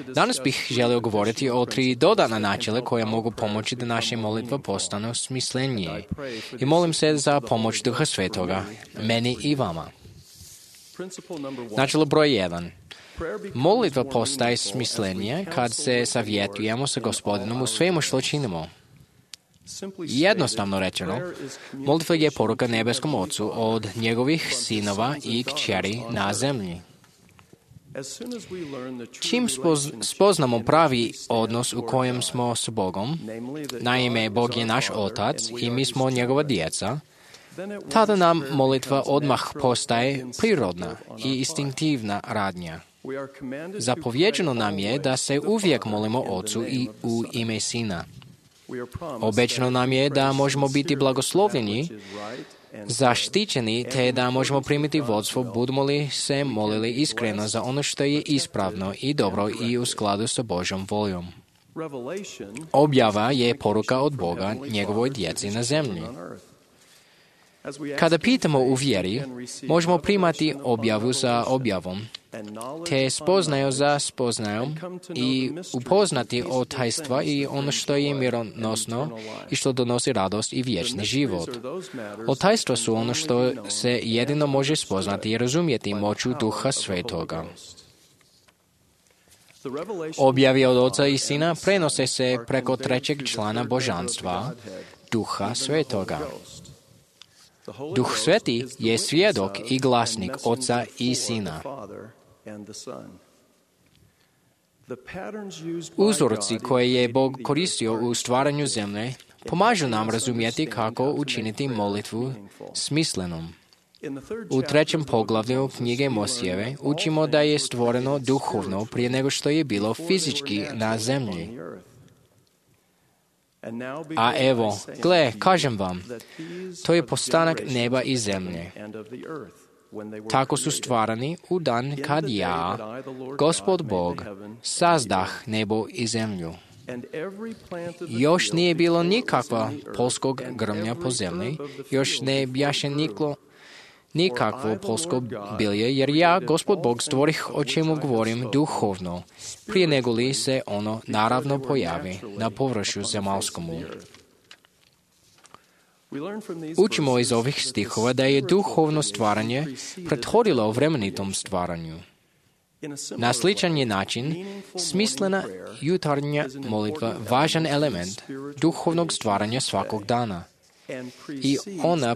Danas bih želio govoriti o 3 dodana načela koja mogu pomoći da naše molitve postanu smislenije. I molim se za pomoć Duha Svetoga, meni i vama. Načelo broj 1. Molitva postaje smislenija kad se savjetujemo sa Gospodinom u svemu što činimo. Jednostavno rečeno, molitva je poruka nebeskom Ocu od njegovih sinova i kćeri na zemlji. Čim spoznamo pravi odnos u kojem smo s Bogom, naime Bog je naš Otac i mi smo njegova djeca, tada nam molitva odmah postaje prirodna i instinktivna radnja. Zapovjeđeno nam je da se uvijek molimo Ocu i u ime Sina. Obećano nam je da možemo biti blagoslovljeni, zaštićeni, te da možemo primiti vodstvo, budemo li se molili iskreno za ono što je ispravno i dobro i u skladu sa Božjom voljom. Objava je poruka od Boga njegovoj djeci na zemlji. Kada pitamo u vjeri, možemo primati objavu za objavom, te spoznaju za spoznajom i upoznati o tajstva i ono što je mironosno i što donosi radost i vječni život. O tajstva su ono što se jedino može spoznati i razumjeti moću Duha Svetoga. Objavi od Oca i Sina prenose se preko trećeg člana božanstva, Duha Svetoga. Duh Sveti je svjedok i glasnik Oca i Sina. Uzorci koje je Bog koristio u stvaranju zemlje pomažu nam razumjeti kako učiniti molitvu smislenom. U 3. poglavlju knjige Mosijeve učimo da je stvoreno duhovno prije nego što je bilo fizički na zemlji. A evo, gle, kažem vam, to je postanak neba i zemlje. Tako su stvarani u dan kad ja, Gospod Bog, sazdah nebo i zemlju. Još nije bilo nikakva polskog grmlja po zemlji, još ne bjaše nikakvo polsko bilje, jer ja, Gospod Bog, stvorih o čemu govorim duhovno, prije nego li se ono naravno pojavi na površju zemaljskomu. Učimo iz ovih stihova da je duhovno stvaranje prethodilo vremenitom stvaranju. Na sličan je način smislena jutarnja molitva važan element duhovnog stvaranja svakog dana. I ona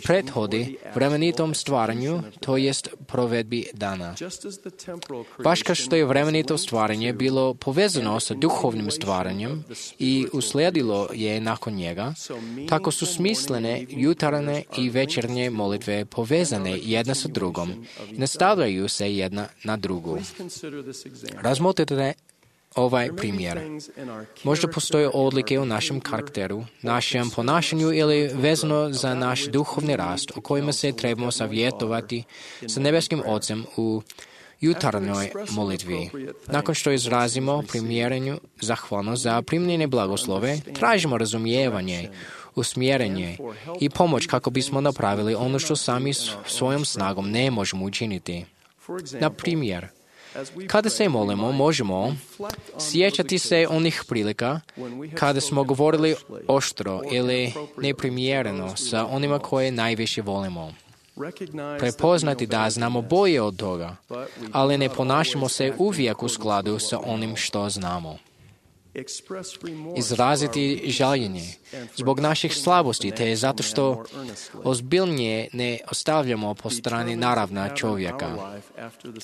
prethodi vremenitom stvaranju, to jest provedbi dana. Baš kao što je vremenito stvaranje bilo povezano sa duhovnim stvaranjem i uslijedilo je nakon njega, tako su smislene jutarnje i večernje molitve povezane jedna sa drugom i nastavljaju se jedna na drugu. Razmotrite ovaj primjer. Možda postoje odlike u našem karakteru, našem ponašanju ili vezano za naš duhovni rast o kojima se trebamo savjetovati sa nebeskim Ocem u jutarnjoj molitvi. Nakon što izrazimo primjerenju zahvalnost za primljene blagoslove, tražimo razumijevanje, usmjerenje i pomoć kako bismo napravili ono što sami svojom snagom ne možemo učiniti. Na primjer, kada se molimo, možemo sjećati se onih prilika kada smo govorili oštro ili neprimjereno sa onima koje najviše volimo. Prepoznati da znamo bolje od toga, ali ne ponašamo se uvijek u skladu sa onim što znamo. Izraziti žaljenje zbog naših slabosti, te zato što ozbiljnije ne ostavljamo po strani naravna čovjeka.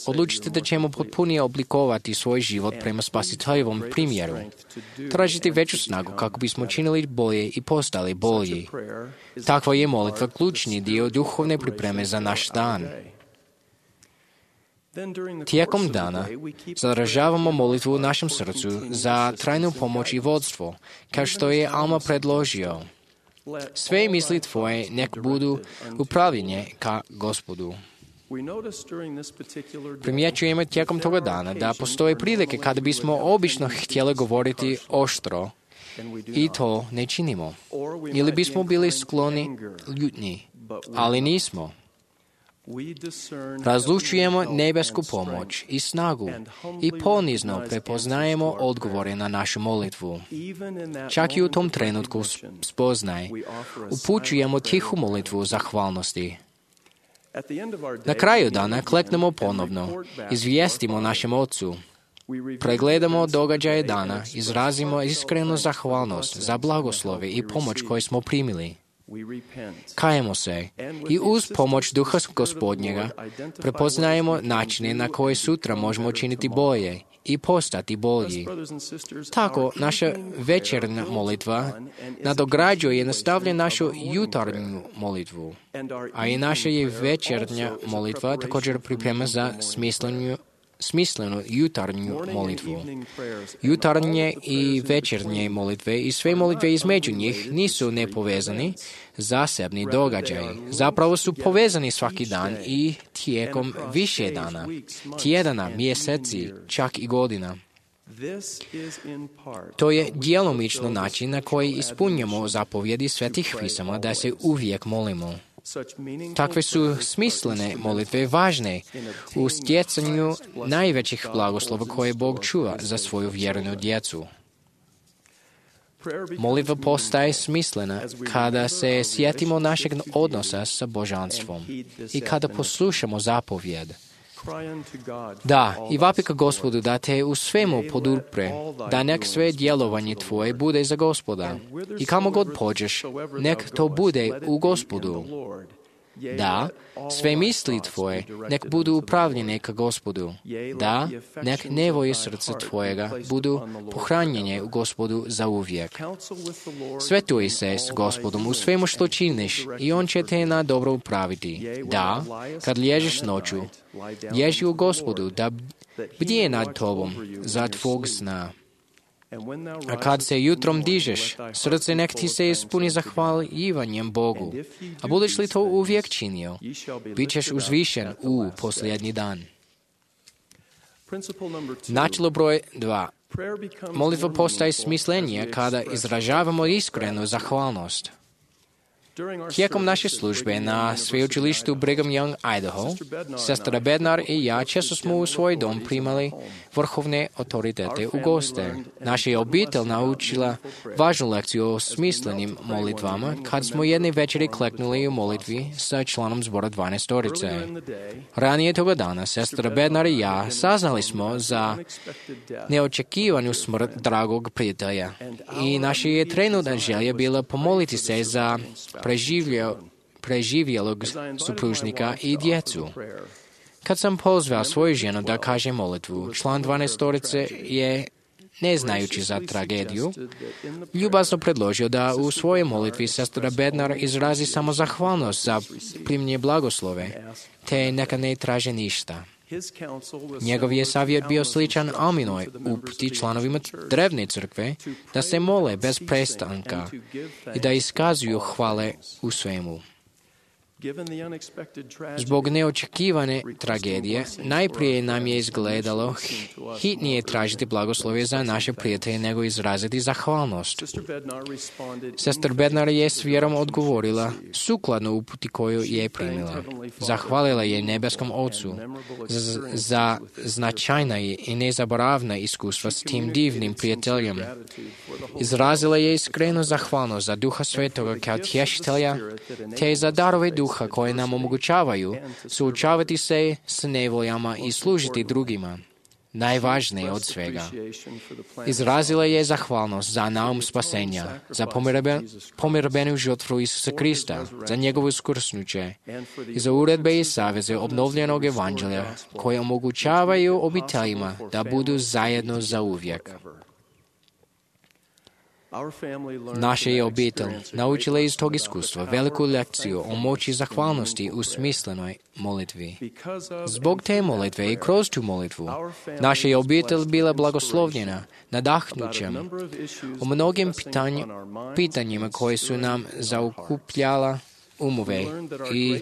Odlučite da ćemo potpunije oblikovati svoj život prema Spasiteljevom primjeru. Tražiti veću snagu kako bismo činili bolje i postali bolji. Takva je molitva ključni dio duhovne pripreme za naš dan. Tijekom dana zadržavamo molitvu u našem srcu za trajnu pomoć i vodstvo, kao što je Alma predložio. Sve misli tvoje nek budu upravljene ka Gospodu. Primjećujemo tijekom toga dana da postoje prilike kada bismo obično htjeli govoriti oštro i to ne činimo. Ili bismo bili skloni ljutnji, ali nismo. Razlučujemo nebesku pomoć i snagu i ponizno prepoznajemo odgovore na našu molitvu. Čak i u tom trenutku spoznaj, upućujemo tihu molitvu zahvalnosti. Na kraju dana kleknemo ponovno, izvijestimo našem Ocu. pregledamo događaje dana, izrazimo iskrenu zahvalnost za blagoslove i pomoć koje smo primili. Kajemo se i uz pomoć Duha Gospodnjega prepoznajemo načine na koje sutra možemo činiti bolje i postati bolji. Tako, naša večernja molitva nadograđuje i nastavlja našu jutarnju molitvu, a i naša je večernja molitva također priprema za smislenu jutarnju molitvu. Jutarnje i večernje molitve i sve molitve između njih nisu nepovezani, zasebni događaji. Zapravo su povezani svaki dan i tijekom više dana, tjedana, mjeseci, čak i godina. To je djelomično način na koji ispunjamo zapovjedi svetih pisama da se uvijek molimo. Takve su smislene molitve važne u stjecanju najvećih blagoslova koje Bog čuva za svoju vjernu djecu. Molitva postaje smislena kada se sjetimo našeg odnosa sa božanstvom i kada poslušamo zapovjed. Da, i vapi ka Gospodu da te u svemu podupre, da nek sve djelovanje tvoje bude za Gospoda. I kamo god pođeš, nek to bude u Gospodu. Da, sve misli tvoje, nek budu upravljene ka Gospodu. Da, nek nevoje srca tvojega budu pohranjene u Gospodu za uvijek. Svetuj se s Gospodom u svemu što činiš i On će te na dobro upraviti. Da, kad lježiš noću, lježi u Gospodu da bdije nad tobom za tvog sna. A kad se jutrom dižeš, srce nek ti se ispuni zahvaljivanjem Bogu. A budeš li to uvijek činio, bit ćeš uzvišen u posljednji dan. Načelo broj 2. Molitva postaje smislenije kada izražavamo iskrenu zahvalnost. Tijekom naše službe na sveučilištu Brigham Young, Idaho, sestra Bednar i ja često smo u svoj dom primali vrhovne autoritete u goste. Naša je obitelj naučila važnu lekciju o smislenim molitvama kad smo jedne večeri kleknuli u molitvi sa članom zbora 12. Ranije toga dana, sestra Bednar i ja saznali smo za neočekivanu smrt dragog prijatelja i naša je trenutna želja bila pomoliti se za preživjelog supružnika i djecu. Kad sam pozvao svoju ženu da kaže molitvu, član 12. je, ne znajući za tragediju, ljubazno predložio da u svojoj molitvi sestra Bednar izrazi samo zahvalnost za primljenje blagoslove, te neka ne traže ništa. Njegov je savjet bio sličan Alminoj uputi članovima drevne crkve da se mole bez prestanka i da iskazuju hvale u svemu. Zbog neočekivane tragedije, najprije nam je izgledalo hitnije tražiti blagoslove za naše prijatelje nego izraziti zahvalnost. Sestra Bednar je s vjerom odgovorila sukladno uputi koju je primila. Zahvalila je nebeskom Ocu za značajna i nezaboravna iskustva s tim divnim prijateljem. Izrazila je iskrenu zahvalnost za Duha Svetoga kao tješitelja, te za darove Duha koje nam omogućavaju suočavati se s nevoljama i služiti drugima. Najvažnije od svega. Izrazila je zahvalnost za naum spasenja, za pomirbenu žrtvu Isusa Krista, za njegovo uskrsnuće i za uredbe i saveze obnovljenog evanđelja koje omogućavaju obiteljima da budu zajedno za uvijek. Naša je obitelj naučila iz tog iskustva veliku lekciju o moći zahvalnosti u smislenoj molitvi. Zbog te molitve i kroz tu molitvu, naša je obitelj bila blagoslovljena nadahnućem o mnogim pitanjima koje su nam zaokupljala umove i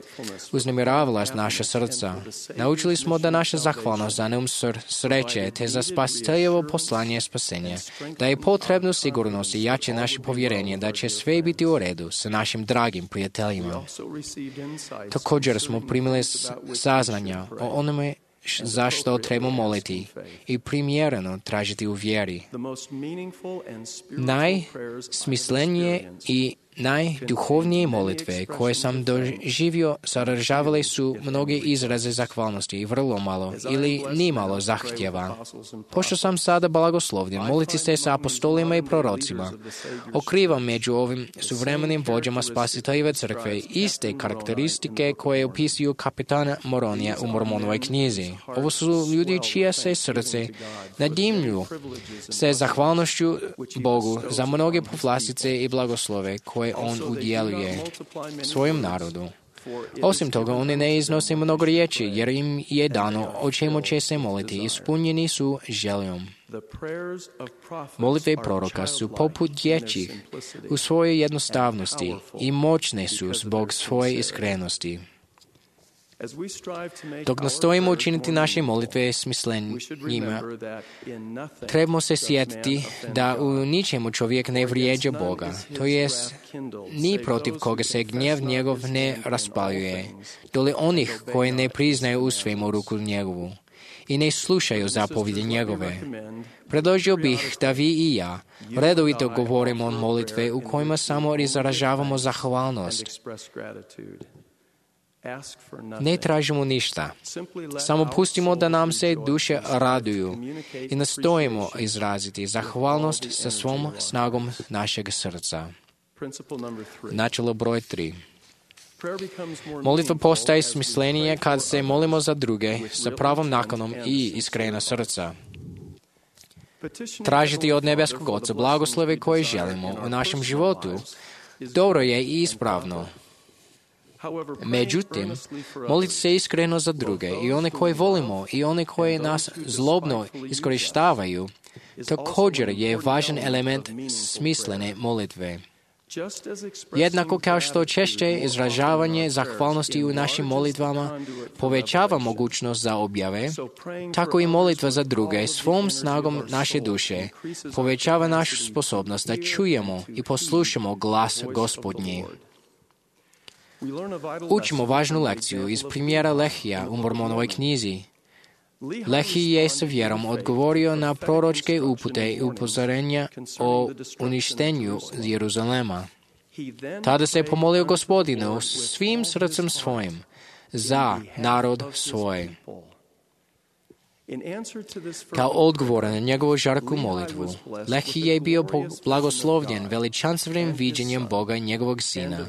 uznemiravala naša srca. Naučili smo da naša zahvalnost za neum sreće te za spasiteljevo poslanje spasenja, da je potrebno sigurnost i jače naše povjerenje da će sve biti u redu sa našim dragim prijateljima. Također smo primili saznanja o onome zašto trebamo moliti i primjereno tražiti u vjeri. Najsmislenije i Najduhovnije molitve koje sam doživio sadržavale su mnoge izraze zahvalnosti i vrlo malo ili nimalo zahtjeva. Pošto sam sada blagoslovljen, moliti se sa apostolima i prorocima. Otkrivam među ovim suvremenim vođama Spasiteljeve crkve iste karakteristike koje opisuju kapitana Moronija u Mormonovoj knjizi. Ovo su ljudi čije se srce nadimlju se zahvalnošću Bogu za mnoge povlastice i blagoslove koje on udjeljuje svojom narodu. Osim toga, oni ne iznose mnogo riječi, jer im je dano o čemu će se moliti. Ispunjeni su željom. Molitve proroka su poput dječjih u svojoj jednostavnosti i moćne su zbog svoje iskrenosti. Dok nastojimo učiniti naše molitve smislenjima, trebamo se sjetiti da u ničemu čovjek ne vrijeđa Boga, to jest ni protiv koga se gnjev njegov ne raspaljuje, dole onih koji ne priznaju u svemu ruku njegovu i ne slušaju zapovjedi njegove. Predložio bih da vi i ja redovito govorimo molitve u kojima samo izražavamo zahvalnost. Ne tražimo ništa, samo pustimo da nam se duše raduju i nastojimo izraziti zahvalnost sa svom snagom našeg srca. Načelo broj 3. Molitva postaje smislenije kad se molimo za druge sa pravom nakanom i iskrena srca. Tražiti od nebeskog Oca blagoslove koje želimo u našem životu dobro je i ispravno. Međutim, moliti se iskreno za druge i one koje volimo i one koje nas zlobno iskorištavaju također je važan element smislene molitve. Jednako kao što češće izražavanje zahvalnosti u našim molitvama povećava mogućnost za objave, tako i molitva za druge svom snagom naše duše povećava našu sposobnost da čujemo i poslušamo glas Gospodnji. Učimo važnu lekciju iz primjera Lehija u Mormonovoj knjizi. Lehi je sa vjerom odgovorio na proročke upute i upozorenja o uništenju Jeruzalema. Tada se pomolio Gospodinu svim srcem svojim za narod svoj. Kao odgovor na njegovu žarku molitvu, Lehi je bio blagoslovljen veličanstvenim viđenjem Boga i njegovog sina,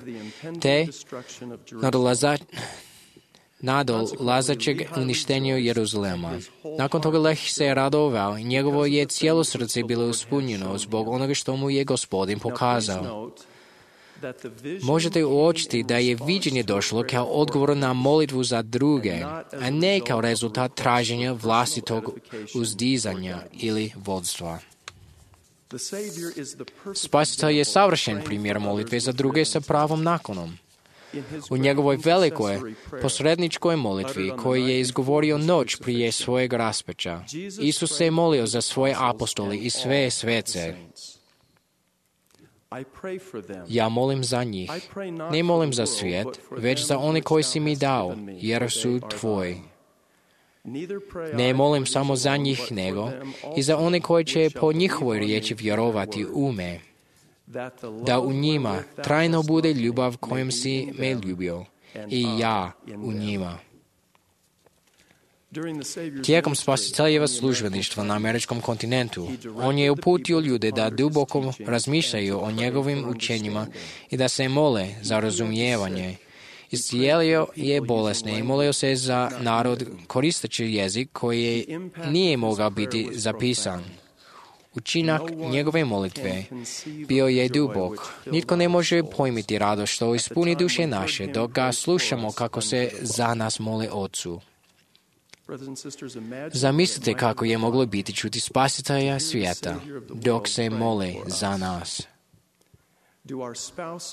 te nadolazećeg uništenja Jeruzalema. Nakon toga Lehi se je radovao i njegovo je cijelo srce bilo ispunjeno zbog onoga što mu je Gospodin pokazao. Možete uočiti da je viđenje došlo kao odgovor na molitvu za druge, a ne kao rezultat traženja vlastitog uzdizanja ili vodstva. Spasitelj je savršen primjer molitve za druge sa pravom nakonom. U njegovoj velikoj posredničkoj molitvi koju je izgovorio noć prije svojeg raspeća, Isus se je molio za svoje apostole i sve svece. Ja molim za njih. Ne molim za svijet, već za one koji si mi dao, jer su tvoji. Ne molim samo za njih, nego i za one koji će po njihovoj riječi vjerovati u me, da u njima trajno bude ljubav kojom si me ljubio i ja u njima. Tijekom Spasiteljeva službeništva na američkom kontinentu, on je uputio ljude da duboko razmišljaju o njegovim učenjima i da se mole za razumijevanje. Iscijelio je bolesne i molio se za narod koristeći jezik koji nije mogao biti zapisan. Učinak njegove molitve bio je dubok. Nitko ne može pojmiti radost što ispuni duše naše dok ga slušamo kako se za nas mole Otcu. Zamislite kako je moglo biti čuti Spasitelja svijeta dok se mole za nas.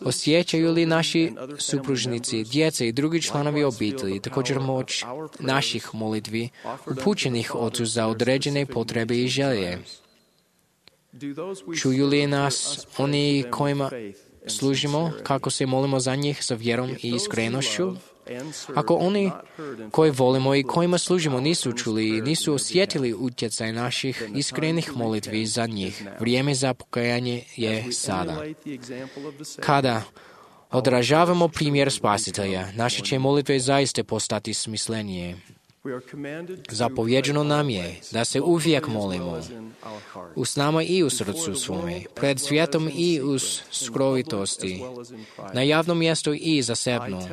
Osjećaju li naši supružnici, djeca i drugi članovi obitelji također moć naših molitvi upućenih Otcu za određene potrebe i želje? Čuju li nas oni kojima služimo kako se molimo za njih sa vjerom i iskrenošću? Ako oni koji volimo i kojima služimo nisu čuli i nisu osjetili utjecaj naših iskrenih molitvi za njih, vrijeme za pokajanje je sada. Kada odražavamo primjer Spasitelja, naše će molitve zaista postati smislenije. Zapovjeđeno nam je da se uvijek molimo u snama i u srcu svome, pred svijetom i u skrovitosti, na javnom mjestu i zasebno.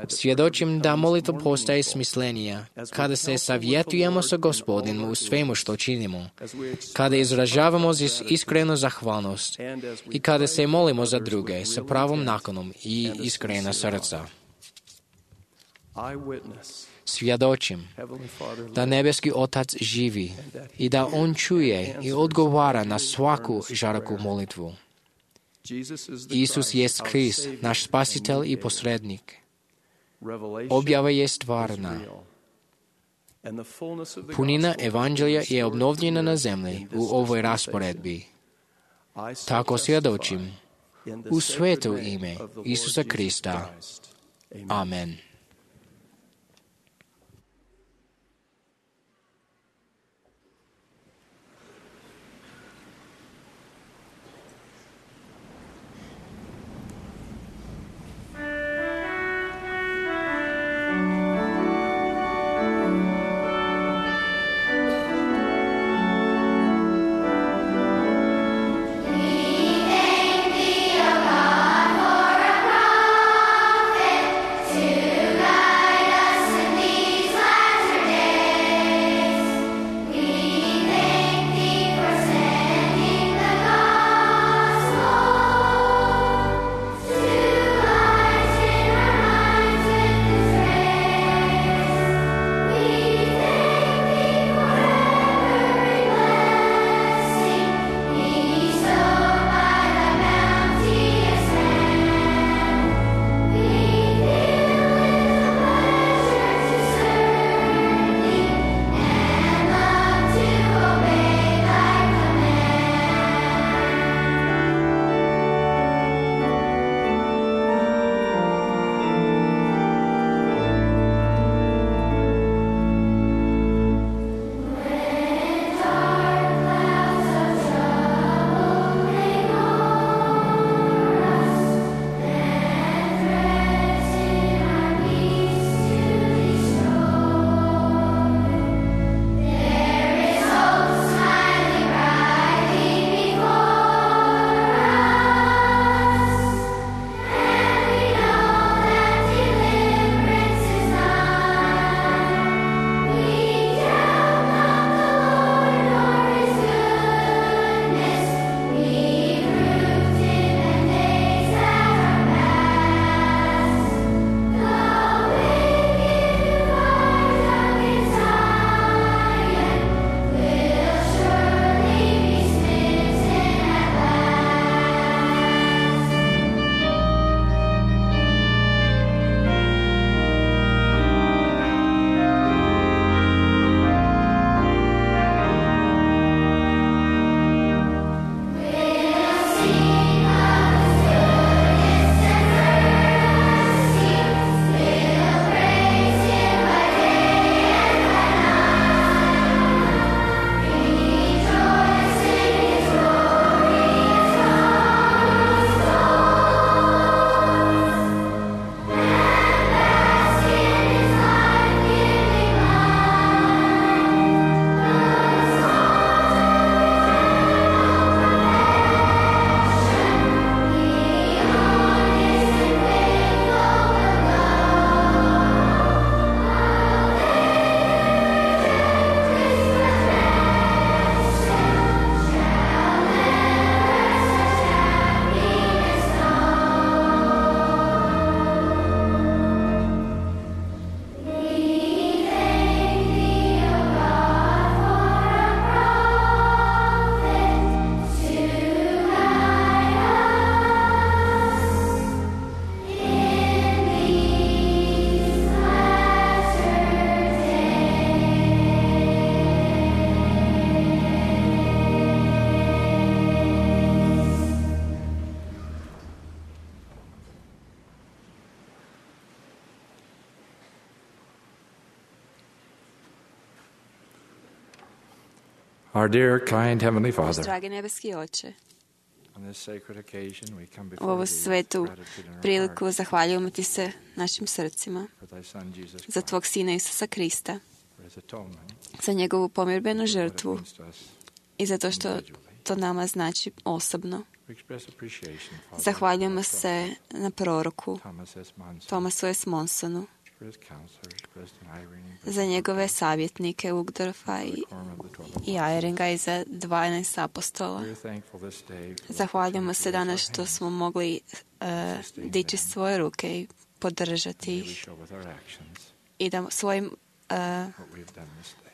Svjedočim da molitva postaje smislenija kada se savjetujemo sa Gospodinom u svemu što činimo, kada izražavamo iskrenu zahvalnost i kada se molimo za druge sa pravom nakanom i iskrena srca. Svjedočim da nebeski Otac živi i da On čuje i odgovara na svaku žarku molitvu. Isus jest Krist, naš spasitelj i posrednik. Objava je stvarna. Punina evanđelja je obnovljena na zemlji u ovoj rasporedbi. Tako svjedočim u sveto ime Isusa Krista. Amen. To Our dear, kind Heavenly Father, dragi nebeski Oče, on this sacred occasion we come u before ovu Thee with svetu gratitude in our priliku hearts zahvaljujemo Ti se našim srcima for Thy Son Jesus za Christ, Tvog Sina Isusa Krista, for His atonement, za njegovu pomirbenu what it žrtvu means to us. i za to što to nama znači osobno. We express appreciation, Father, Zahvaljujemo se na proroku Thomas S. Monson, Thomasu S. Monsonu, for his counselors, President Irene, za njegove savjetnike Uchtdorfa i Quorum of the 12 Eyringa i za 12 apostola. We are thankful this day for the Zahvaljujemo se opportunity to danas raise our što hands smo mogli dići svoje ruke i podržati and we ih show with our actions i da svojim what we have done this day.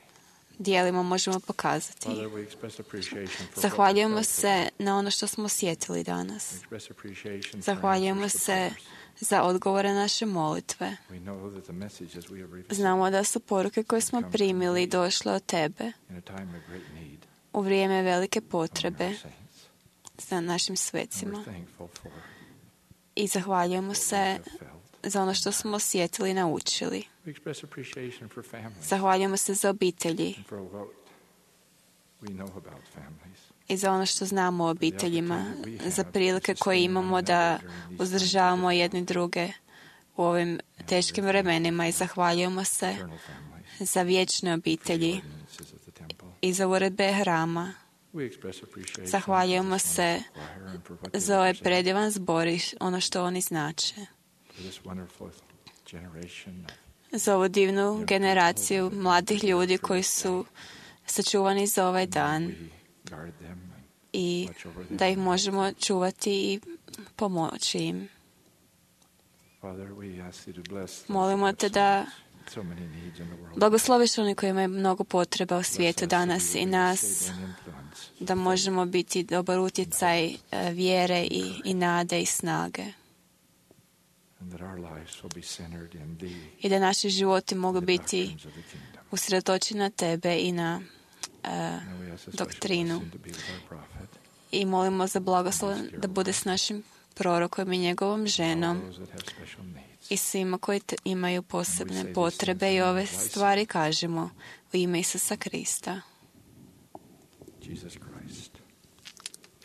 dijelima možemo pokazati. Father, we express appreciation for what we Zahvaljujemo felt se na ono što smo osjetili danas. We express appreciation for Zahvaljujemo answers to se prayers. za odgovore naše molitve. We know that the messages we have received Znamo da su poruke koje smo primili došle od Tebe in a time of great need u vrijeme velike among potrebe our saints. za našim And svecima. we're thankful for I zahvaljujemo what we se have felt. za ono što smo osjetili i naučili. We express appreciation for families Zahvaljujemo se za obitelji and for what we know about families. i za ono što znamo o obiteljima, za prilike koje imamo da uzdržavamo jedni druge u ovim teškim vremenima i zahvaljujemo se Eternal families. za vječne obitelji Ordinances of the temple. i za uredbe hrama. We express appreciation Zahvaljujemo for this se wonderful choir and for what they za ovaj represent, predivan zbor i ono što oni znače. for this wonderful generation Za ovu divnu generaciju mladih ljudi koji su sačuvani za ovaj dan we guard them and i da ih možemo čuvati i pomoći im. Father, we ask Thee to bless those Molimo who Te have da so many needs in the world. blagosloviš oni koji imaju mnogo potreba u Bless svijetu us that danas we i will be nas, stable and influence, da možemo biti dobar utjecaj vjere i nade i snage. and that our lives will be centered in Thee, I da naši životi mogu the biti doctrines of the kingdom. usredotočeni na Tebe i na And we ask a special doktrinu. blessing to be with our prophet, I molimo za blagoslov da bude s našim prorokom i njegovom ženom all those that have special needs. i svima koji imaju posebne potrebe i ove stvari kažemo u ime Isusa Krista. Jesus Christ.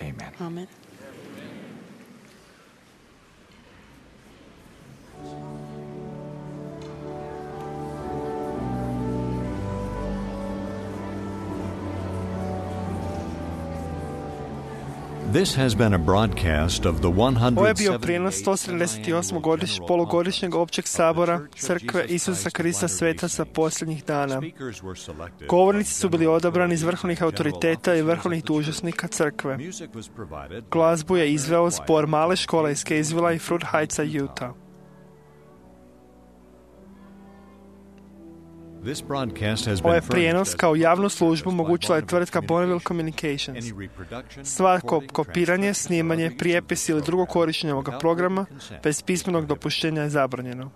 Amen. Amen. This has been a broadcast of the Ovo je bio prijenos 178. 178. polugodišnjeg općeg sabora Crkve Isusa Krista Svetaca posljednjih dana. Govornici su bili odabrani iz vrhovnih autoriteta i vrhovnih dužnosnika Crkve. Glazbu je izveo zbor male škole iz Kaysvilla i Fruit Heightsa, Utah. Ovaj prijenos kao javnu službu omogućila je tvrtka Bonneville Communications. Svako kopiranje, snimanje, prijepis ili drugo korištenje ovoga programa bez pismenog dopuštenja je zabranjeno.